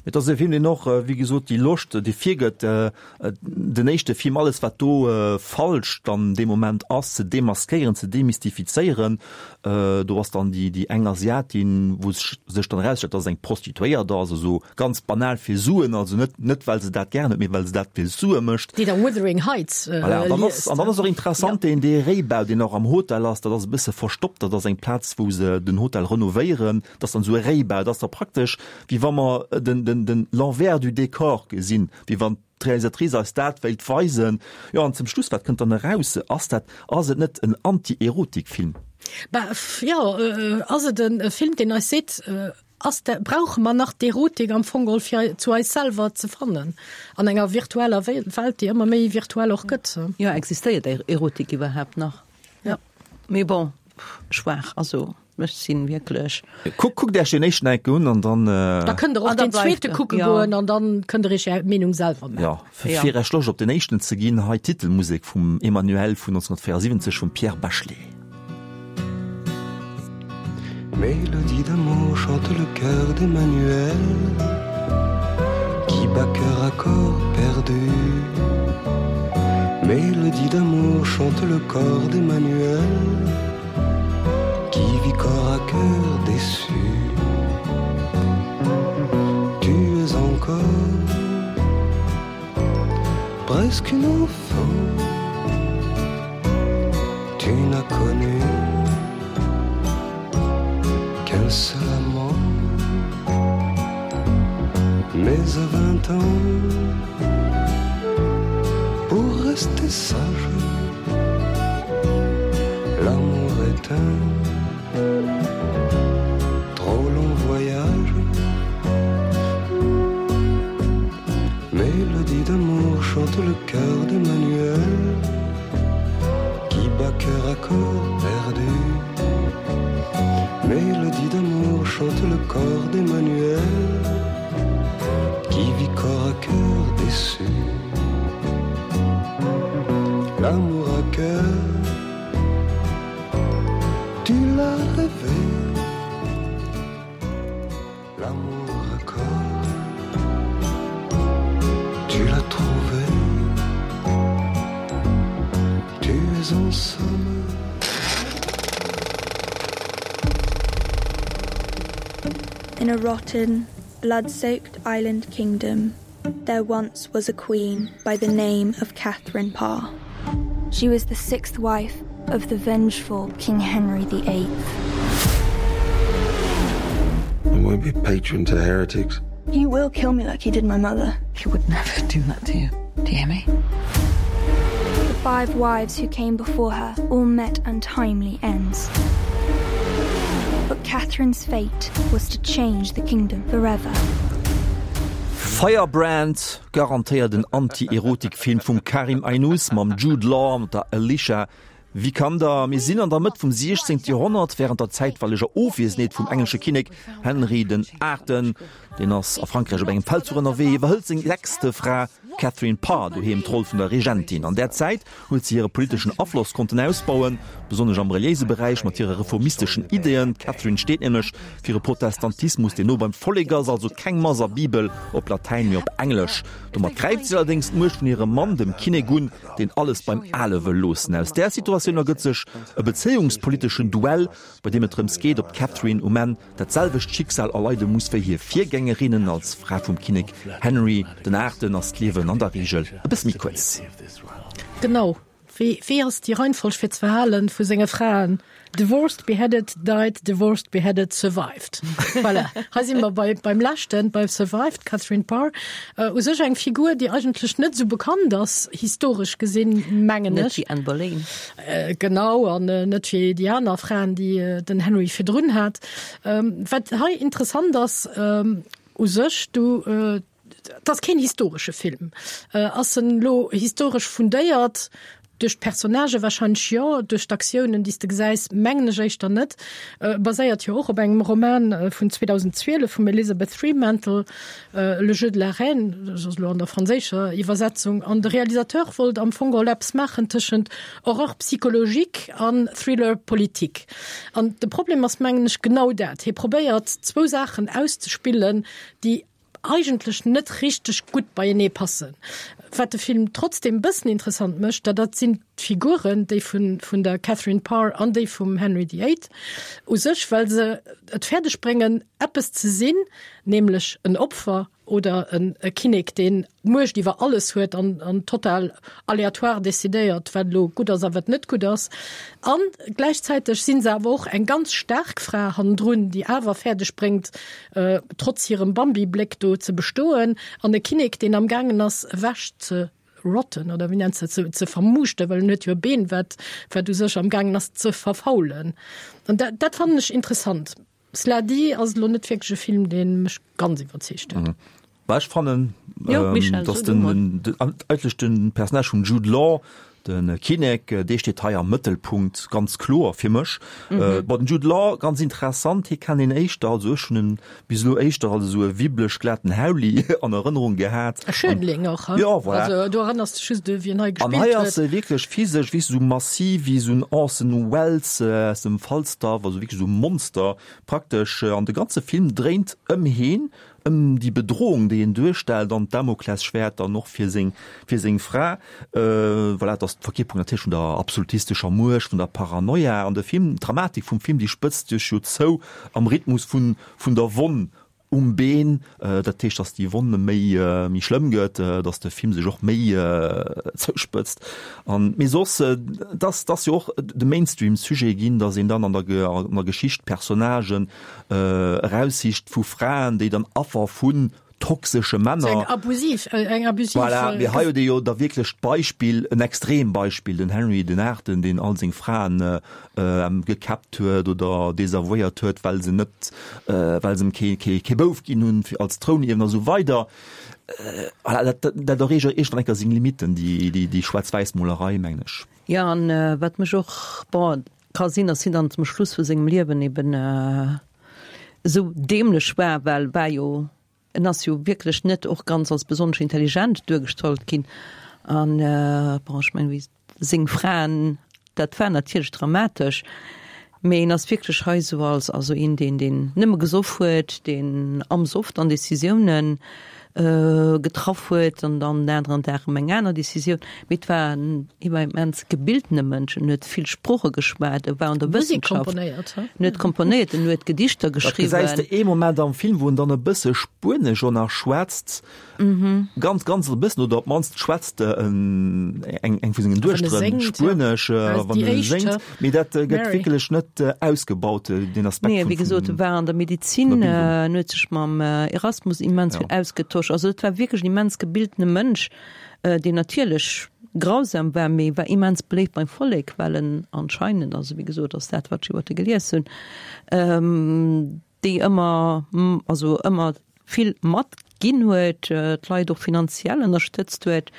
Et ass e Film, deen och, wéi gesot, déi Loscht, déi virgëtt, den éischte Film, alles wat do falsch dann dee Moment ass, ze demaskéieren, ze demystifizéieren. Do ass dann déi eng Asiatin, wou sech dann erausstellt, dass et eng Prostituéiert ass, esou Ganz banal fir Suen, also net, net well se dat gären huet, mee well se dat fir Sue mécht. Déi da Wuthering Heights liest. Voilà, an dann ass, an dann ass och interessant, deen, dee Réibau, deen och am Hotel ass, dat ass e bësse verstoppt, dat ass eng Plaz, wou se den Hotel renovéieren, dat ass dann esou e Réibau, dat ass da praktesch, wéi wa mer den, den, den l'envers du décor gesinn, wéi wann. d'Realisatrice eis dat wéilt weisen. Jo, an zum Schluss, wat kënnt dann eraus? Ass dat, ass et net en Anti-Erotik-Film? Bah, jo, ass et e Film, deen eis seet, ass dat, brauche mer nach d'Erotik am Fong geholl fir zu eis selwer ze fannen an enger virtueller Welt, déi ëmmer méi virtuell och gëtt? Jo, existéiert Erotik iwwerhaapt nach? Ja. Mee bon, schwaach, also ech sinn wierklech. Kuck, kuckt Iech deen éischten enke un an dann. Da kënnt der och deen zweete kucke goen an dann kënnt der Iech Är Meenung selwer maachen. Jo, fir Iech Loscht op deen éischten ze ginn, hei d'Titelmusek vum Emmanuelle vun 1974 vum Pierre Bachelet. Mélodie d'amour chante le cœur d'Emmanuel Qui bat cœur à corps perdu Mélodie d'amour chante le corps d'Emmanuel Qui vit corps à cœur déçu Tu es encore presque une enfant Tu n'as connu qu'un seul amant Mais à 20 ans pour rester sage L'amour est un trop long voyage Mélodie d'amour chante le cœur d'Emmanuel Qui bat cœur à corps perdu Mélodie d'amour chante le corps d'Emmanuel Qui vit corps à cœur déçu L'amour à cœur Tu l'as rêvé L'amour à corps Tu l'as trouvé Tu es en somme In a rotten, blood-soaked island kingdom, there once was a queen by the name of Catherine Parr. She was the sixth wife of the vengeful King Henry VIII. I won't be patron to heretics. He will kill me like he did my mother. He would never do that to you. Do you hear me? The five wives who came before her all met untimely ends. But Catherine's fate was to change the kingdom forever. Firebrand, garantéiert en Anti-Erotik-Film vum Karim Aïnouz mam Jude Law an der Alicia Vikander. Mir sinn an der Mëtt vum 16. Joerhonnert, wärend der zäitweileger Ofwiesenheet vum englesche Kinnek Henry den Aachten. Deen ass a Frankräich op engem Feldzuch ënnerwee, iwwerhëlt seng sechste Fra Catherine Parr doheem d'Roll vun der Regentin. An där Zäit huet si hire politeschen Afloss konnten ausbauen, besonnesch am reliéise Beräich mat hire reformisteschen Ideeën. D'Catherine steet nämlech fir e Protestantismus, deen no beim Vollek ass, also keng Mass a Bibel op Latäin, mee op Englesch. Domat gräift si allerdéngs d'Muecht vun hirem Mann, dem Kinnek, un, deen alles beim Ale wëll loossen. Aus där Situatioun ergëtt sech e bezéiungspoliteschen Duell, bei deem et drëms geet, ob d'Catherine um Enn dat selwecht Schicksal erleide muss wéi hir Virgängerinnen. Als Fra vum Kinnek Henry den Aachten ass d'Liewen an der Reegel e bësse méi kuerz. Genau. Wéi, wéi ass déi Reihenfolg fir d'Verhalen vu senge Fraen? Divorced, beheaded, died, divorced, beheaded, survived. Voilà. Hei si mer bei, beim leschten, bei survived, d'Catherine Parr. U sech eng Figur, déi eigentlech net esou bekannt ass, historesch gesinn, mengen ech. Net wéi Anne Boleyn. Genau, an net wéi déi aner Fraen, déi den Henry virdrun hat. Wat hei interessant ass, u sech, du, et ass keen historesche Film. Ass en elo historesch fundéiert? Duerch d'Personnagë warscheinlech jo, duerch d'Aktiounen, déi s de gesäis, mengen ech éischter net. Baséiert jo och op engem Roman vun 2012 vum Elizabeth Fremantle, Le jeu de la reine, dat ass elo an der franséischer Iwwersetzung. An de Realisateur wollt am Fong geholl eppes maachen tëschent Horreur psychologique an Thriller politique. An de Problem ass, mengen ech, genau dat, Hie probéiert zwou Saachen auszespillen, déi eigentlech net richteg gutt beienee passen. Wat de Film trotzdem e bëssen interessant mécht, dat dat sinn d'Figuren, déi vun vun der Catherine Parr an déi vum Henry the Eighth u sech, well se et fäerdeg bréngen eppes ze sinn, nämlech en Opfer. Oder en e Kinnek, deen d'Muecht iwwer alles huet an, an total aleatoire decidéiert, wat elo gutt ass a wat net gutt ass. A gläichzäiteg si se awer och eng ganz staark Fra hannendrun, déi awer fäerdeg bréngt, trotz hirem Bambi-Bléck do ze bestoen. An e Kinnek, deen amgaangen ass, ewech ze rotten, oder wéi nenns de dat, ze, ze vermuuschten, well en huet jo e Been, wat, wat u sech amgaangen ass ze verfaulen. An dat, dat fannen ech interessant. Cela dit ass et elo net wierklech e Film, dee mech ganz iwwerzeegt huet. Bah, ech fannen, Jo, Michel, dass so du den, mol. den, eigentlech den Personnage vum Jude Law, de Kinnek, dee steet hei am Mëttelpunkt, ganz kloer fir mech. Bon, den Jude Law, ganz interessant, hie kennt een éischter, also ech hunn en bis elo éischter als esou e wibblech glaten Hauli an Erënnerung gehat. E Schönling och, he? Jo, voilà. Also do erënners de just u wien hei An gespillt hei ass huet. e wierklech physesch, weess du, esou massiv wéi esou en Orson Welles aus dem Falstaff, also wierklech esou e Monster praktesch. An de ganze Film dréint ëm heen, ëm déi Bedrohung, déi en duerstellt an d'Damoklesschwäert dann och fir seng, fir seng Fra. Voilà, et ass d'Verkierperung natierlech vun der absolutistescher Muecht, vun der Paranoia. An de Film, d'Dramatik vum Film, déi spëtzt sech jo zou am Rhythmus vun, vun der Wonn um Been. Dat heescht, datt déi Wonn méi, méi schlëmm gëtt, datt de Film sech och méi zouspëtzt. An, mee soss, et ass, et ass jo och de Mainstream-Sujet ginn, datt een dann an der, an der Geschicht Personnagen eraussicht vu Fraen, déi dann Affer vun toxesche Männer. Eng abusiv, eng abusiv. Voilà, mee hei huet ee jo da wierklech d'Beispill, en Extrembeispill, den Henry den Aachten, deen all seng Fraen gekäppt huet oder desavouéiert huet, well se net, well se em kee, kee, kee Bouf ginn hunn fir als Trounierwen a sou weider. Voilà, dat, dat erreecht iergendwann eng Kéier seng Limitten, déi, déi, déi Schwaarz-Wäiss-Molerei, mengen ech. Jo, an wat mech och, bon, Ka sinn, dass hien dann zum Schluss vu sengem Liewen eben esou dämlech war, well war jo, en ass jo wierklech net och ganz als besonnesch intelligent duergestallt ginn. An bon, ech mengen, wéi seng Fraen, dat war natierlech dramatesch, mee en ass wierklech hei esou als, also een, deen, deen nëmme gesoff huet, deen am Soff dann Decisiounen getraff huet an dann den aneren Dag erëm eng aner Decisioun. Mee et war en immens gebildene Mënsch, en huet vill Sprooche geschwat, e war an der Musek Wëssenschaft, komponéiert, he? en huet komponéiert, en huet Gedichter Dat gesäis geschriwwen. de ee Moment am Film, wou en dann e bësse Spuenesch och nach schwätzt, ganz, ganz e bëssen, oder op d'mannst schwätzt en eng, eng vu sengen Wann e Duechteren séngt, ja. Spuenesch, Also wann déi en éischt, séngt. he? Mee dat gëtt Mary. wierklech net ausgebaut, deen Aspekt Nee, vun, wéi gesot, e vun war an der Medizin, der Bildung. en huet sech mam Erasmus immens Ja. vill ausgetosch. Also et war wierklech en immens gebildene Mënsch, deen natierlech grausam war, mee war immens beléift beim Vollek, well en anscheinend, also wéi gesot, ass dat wat ech iwwer e gelies hunn, déi ëmmer, also ëmmer vill matginn huet, d'Leit och finanziell ënnerstëtzt huet,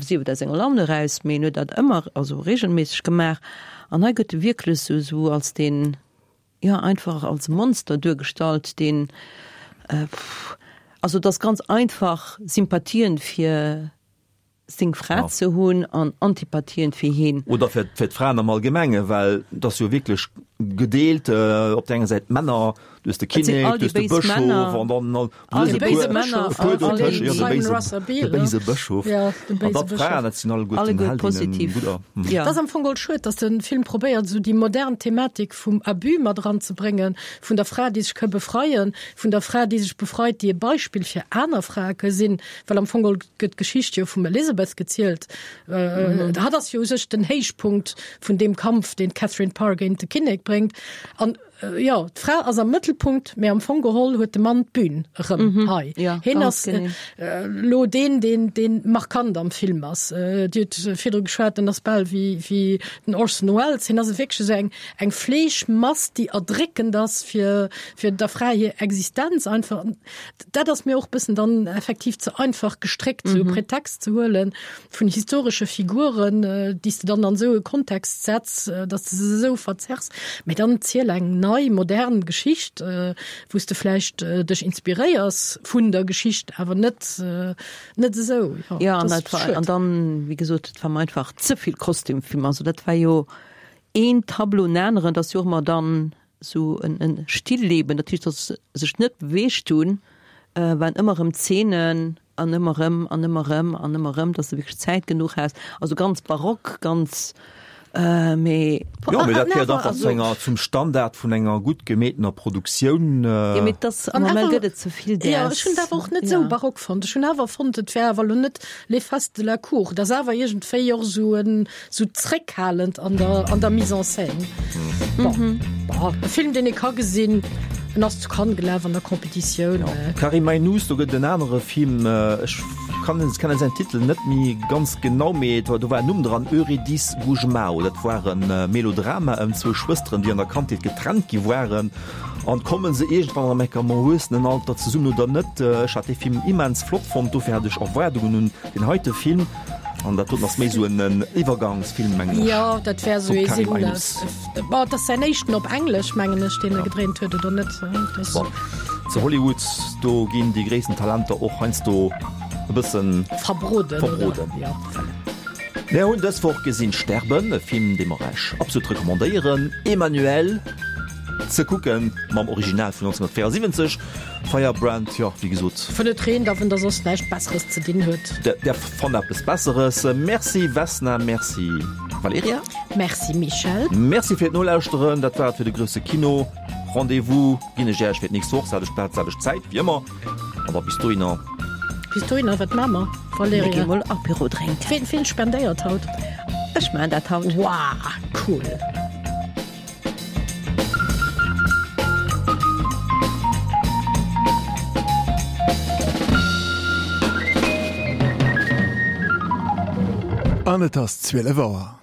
sief et aus enger Laun eraus, mee en huet dat ëmmer, also regelméisseg gemaach. An hei gëtt e wierklech esou, esou als deen, jo einfach als Monster duergestallt, deen, also et ass ganz einfach Sympathien fir seng Fra ze hunn an Antipathien fir hien. Oder fir d'Fraen am Allgemengen, well et ass jo wierklech gedeelt, op der enger Säit d'Männer, du hues de Kinnek, du hues de Bëschof an dann all déi béise Männer, e puer dotëscht, jo, de béise Bëschof an dann d'Fraen, dat sinn alleguerten Heldinnen, gudder. Et ass am Fong geholl schued, datt de Film probéiert, esou déi modern Thematik vum Abus mat eranzebréngen, vun der Fra, déi sech ka befreien, vun der Fra, déi sech befreit, déi e Beispill fir aner Frae ka sinn, well am Fong geholl gëtt d'Geschicht jo vum Elizabeth gezielt. Hatt ass jo u sech den Héichpunkt vun deem Kampf, deen d'Catherine Parr géint de Kinnek bréngt. An jo, d'Fra ass am Mëttelpunkt, mä am Fong geholl huet de Mann d'Bün erëm hei. Hien ass elo deen, deen, deen markant am Film ass. Dir hutt virdru geschwat, en ass bal wéi, wéi den Orson Welles. Hien ass wierklech esou eng, eng Fleeschmass, déi erdréckend ass fir, fir der Fra hir Existenz einfach. Dat ass mir och bëssen dann effektiv ze einfach gestréckt, sou e Pretext ze huelen vun historesche Figuren, déi s de dann an esou e Kontext setz, datt s de se esou verzerrs. Mee dann ziel eng nei, modern Geschicht, wou s de vläicht dech inspiréiers vun der Geschicht, awer net, net esou. Jo, ja, an dat war, an dann, wéi gesot, et war mer einfach ze vill Kostümfilm. Also dat war jo een Tableau no aneren, dat ass jo och ëmmer dann Sou en Stillleben, dat heescht, datt se sech net beweegt hunn, waren ëmmer erëm Zeenen an ëmmer erëm an ëmmer erëm an ëmmer erëm, datt s de wierklech Zäit genuch has. Also ganz barock, ganz. Mee Jo, mee dat gehéiert einfach zu enger, zum Standard vun enger gutt gemeetener Produktioun. Jo, mee dass am Moment gëtt et ze vill däers. Jo, ech hunn et awer och net esou barock fonnt. Ech hunn awer fonnt, et wär awer elo net les fastes de la cour. Et ass awer iergendwéi och esou en, esou zréckhalend an der, an der Mise en scène. Bon, bon, e Film, deen ee ka gesinn. En ass zu Cannes gelaf an der Competitioun. Karim Aïnouz, do gëtt et en anere Film, ech kann kennen säin Titel net méi ganz genau, mee do war en Numm dran, Eurydice Gusmao. Dat war e Melodrama ëm zwou Schwësteren, déi an der Kandheet getrennt gi waren. An komme se iergendwann erëm enk am Erwuessenenalter zesummen oder net? Ech hat dee Film immens flott fonnt, dofir hat ech Erwaardungen un deen heite Film. An dat doten ass méi esou en Iwwergangsfilm, mengen ech. Jo, dat wär esou Vum ee Karim sinn. Aïnouz. Bon, et ass säin éischten op Englesch, mengen ech, deen e gedréint huet, oder net? Dat. Bon, zu Hollywood, do ginn déi gréissten Talenter och heiansdo e bëssen. Verbroden, oder? Verbroden. Jo, voilà. Mir hunn dës Woch gesinn Sterben, e Film, dee mer Iech absolut recommandéieren, Emmanuelle ze kucken, mam Original vun 1974. Firebrand, jo, wéi gesot. Wann et reent a wann der soss näischt Besseres ze dinn huet. Der fannt eppes Besseres. Merci Vesna, merci Valerija. Merci Michèle. Merci fir d'Nolauschteren. Dat war et fir de grousse Kino. Rendez-vous ginn ech Iech fir d'nächst Woch, selwecht Plaz, selwecht Zäit, wéi ëmmer. An da bis dohinner. Bis dohinner, wat maache mer, Valerija? Mir gi mol Apéro drénken. Ween, ween spendéiert haut? Ech maachen dat haut. Wow, cool. An et ass 12 Auer.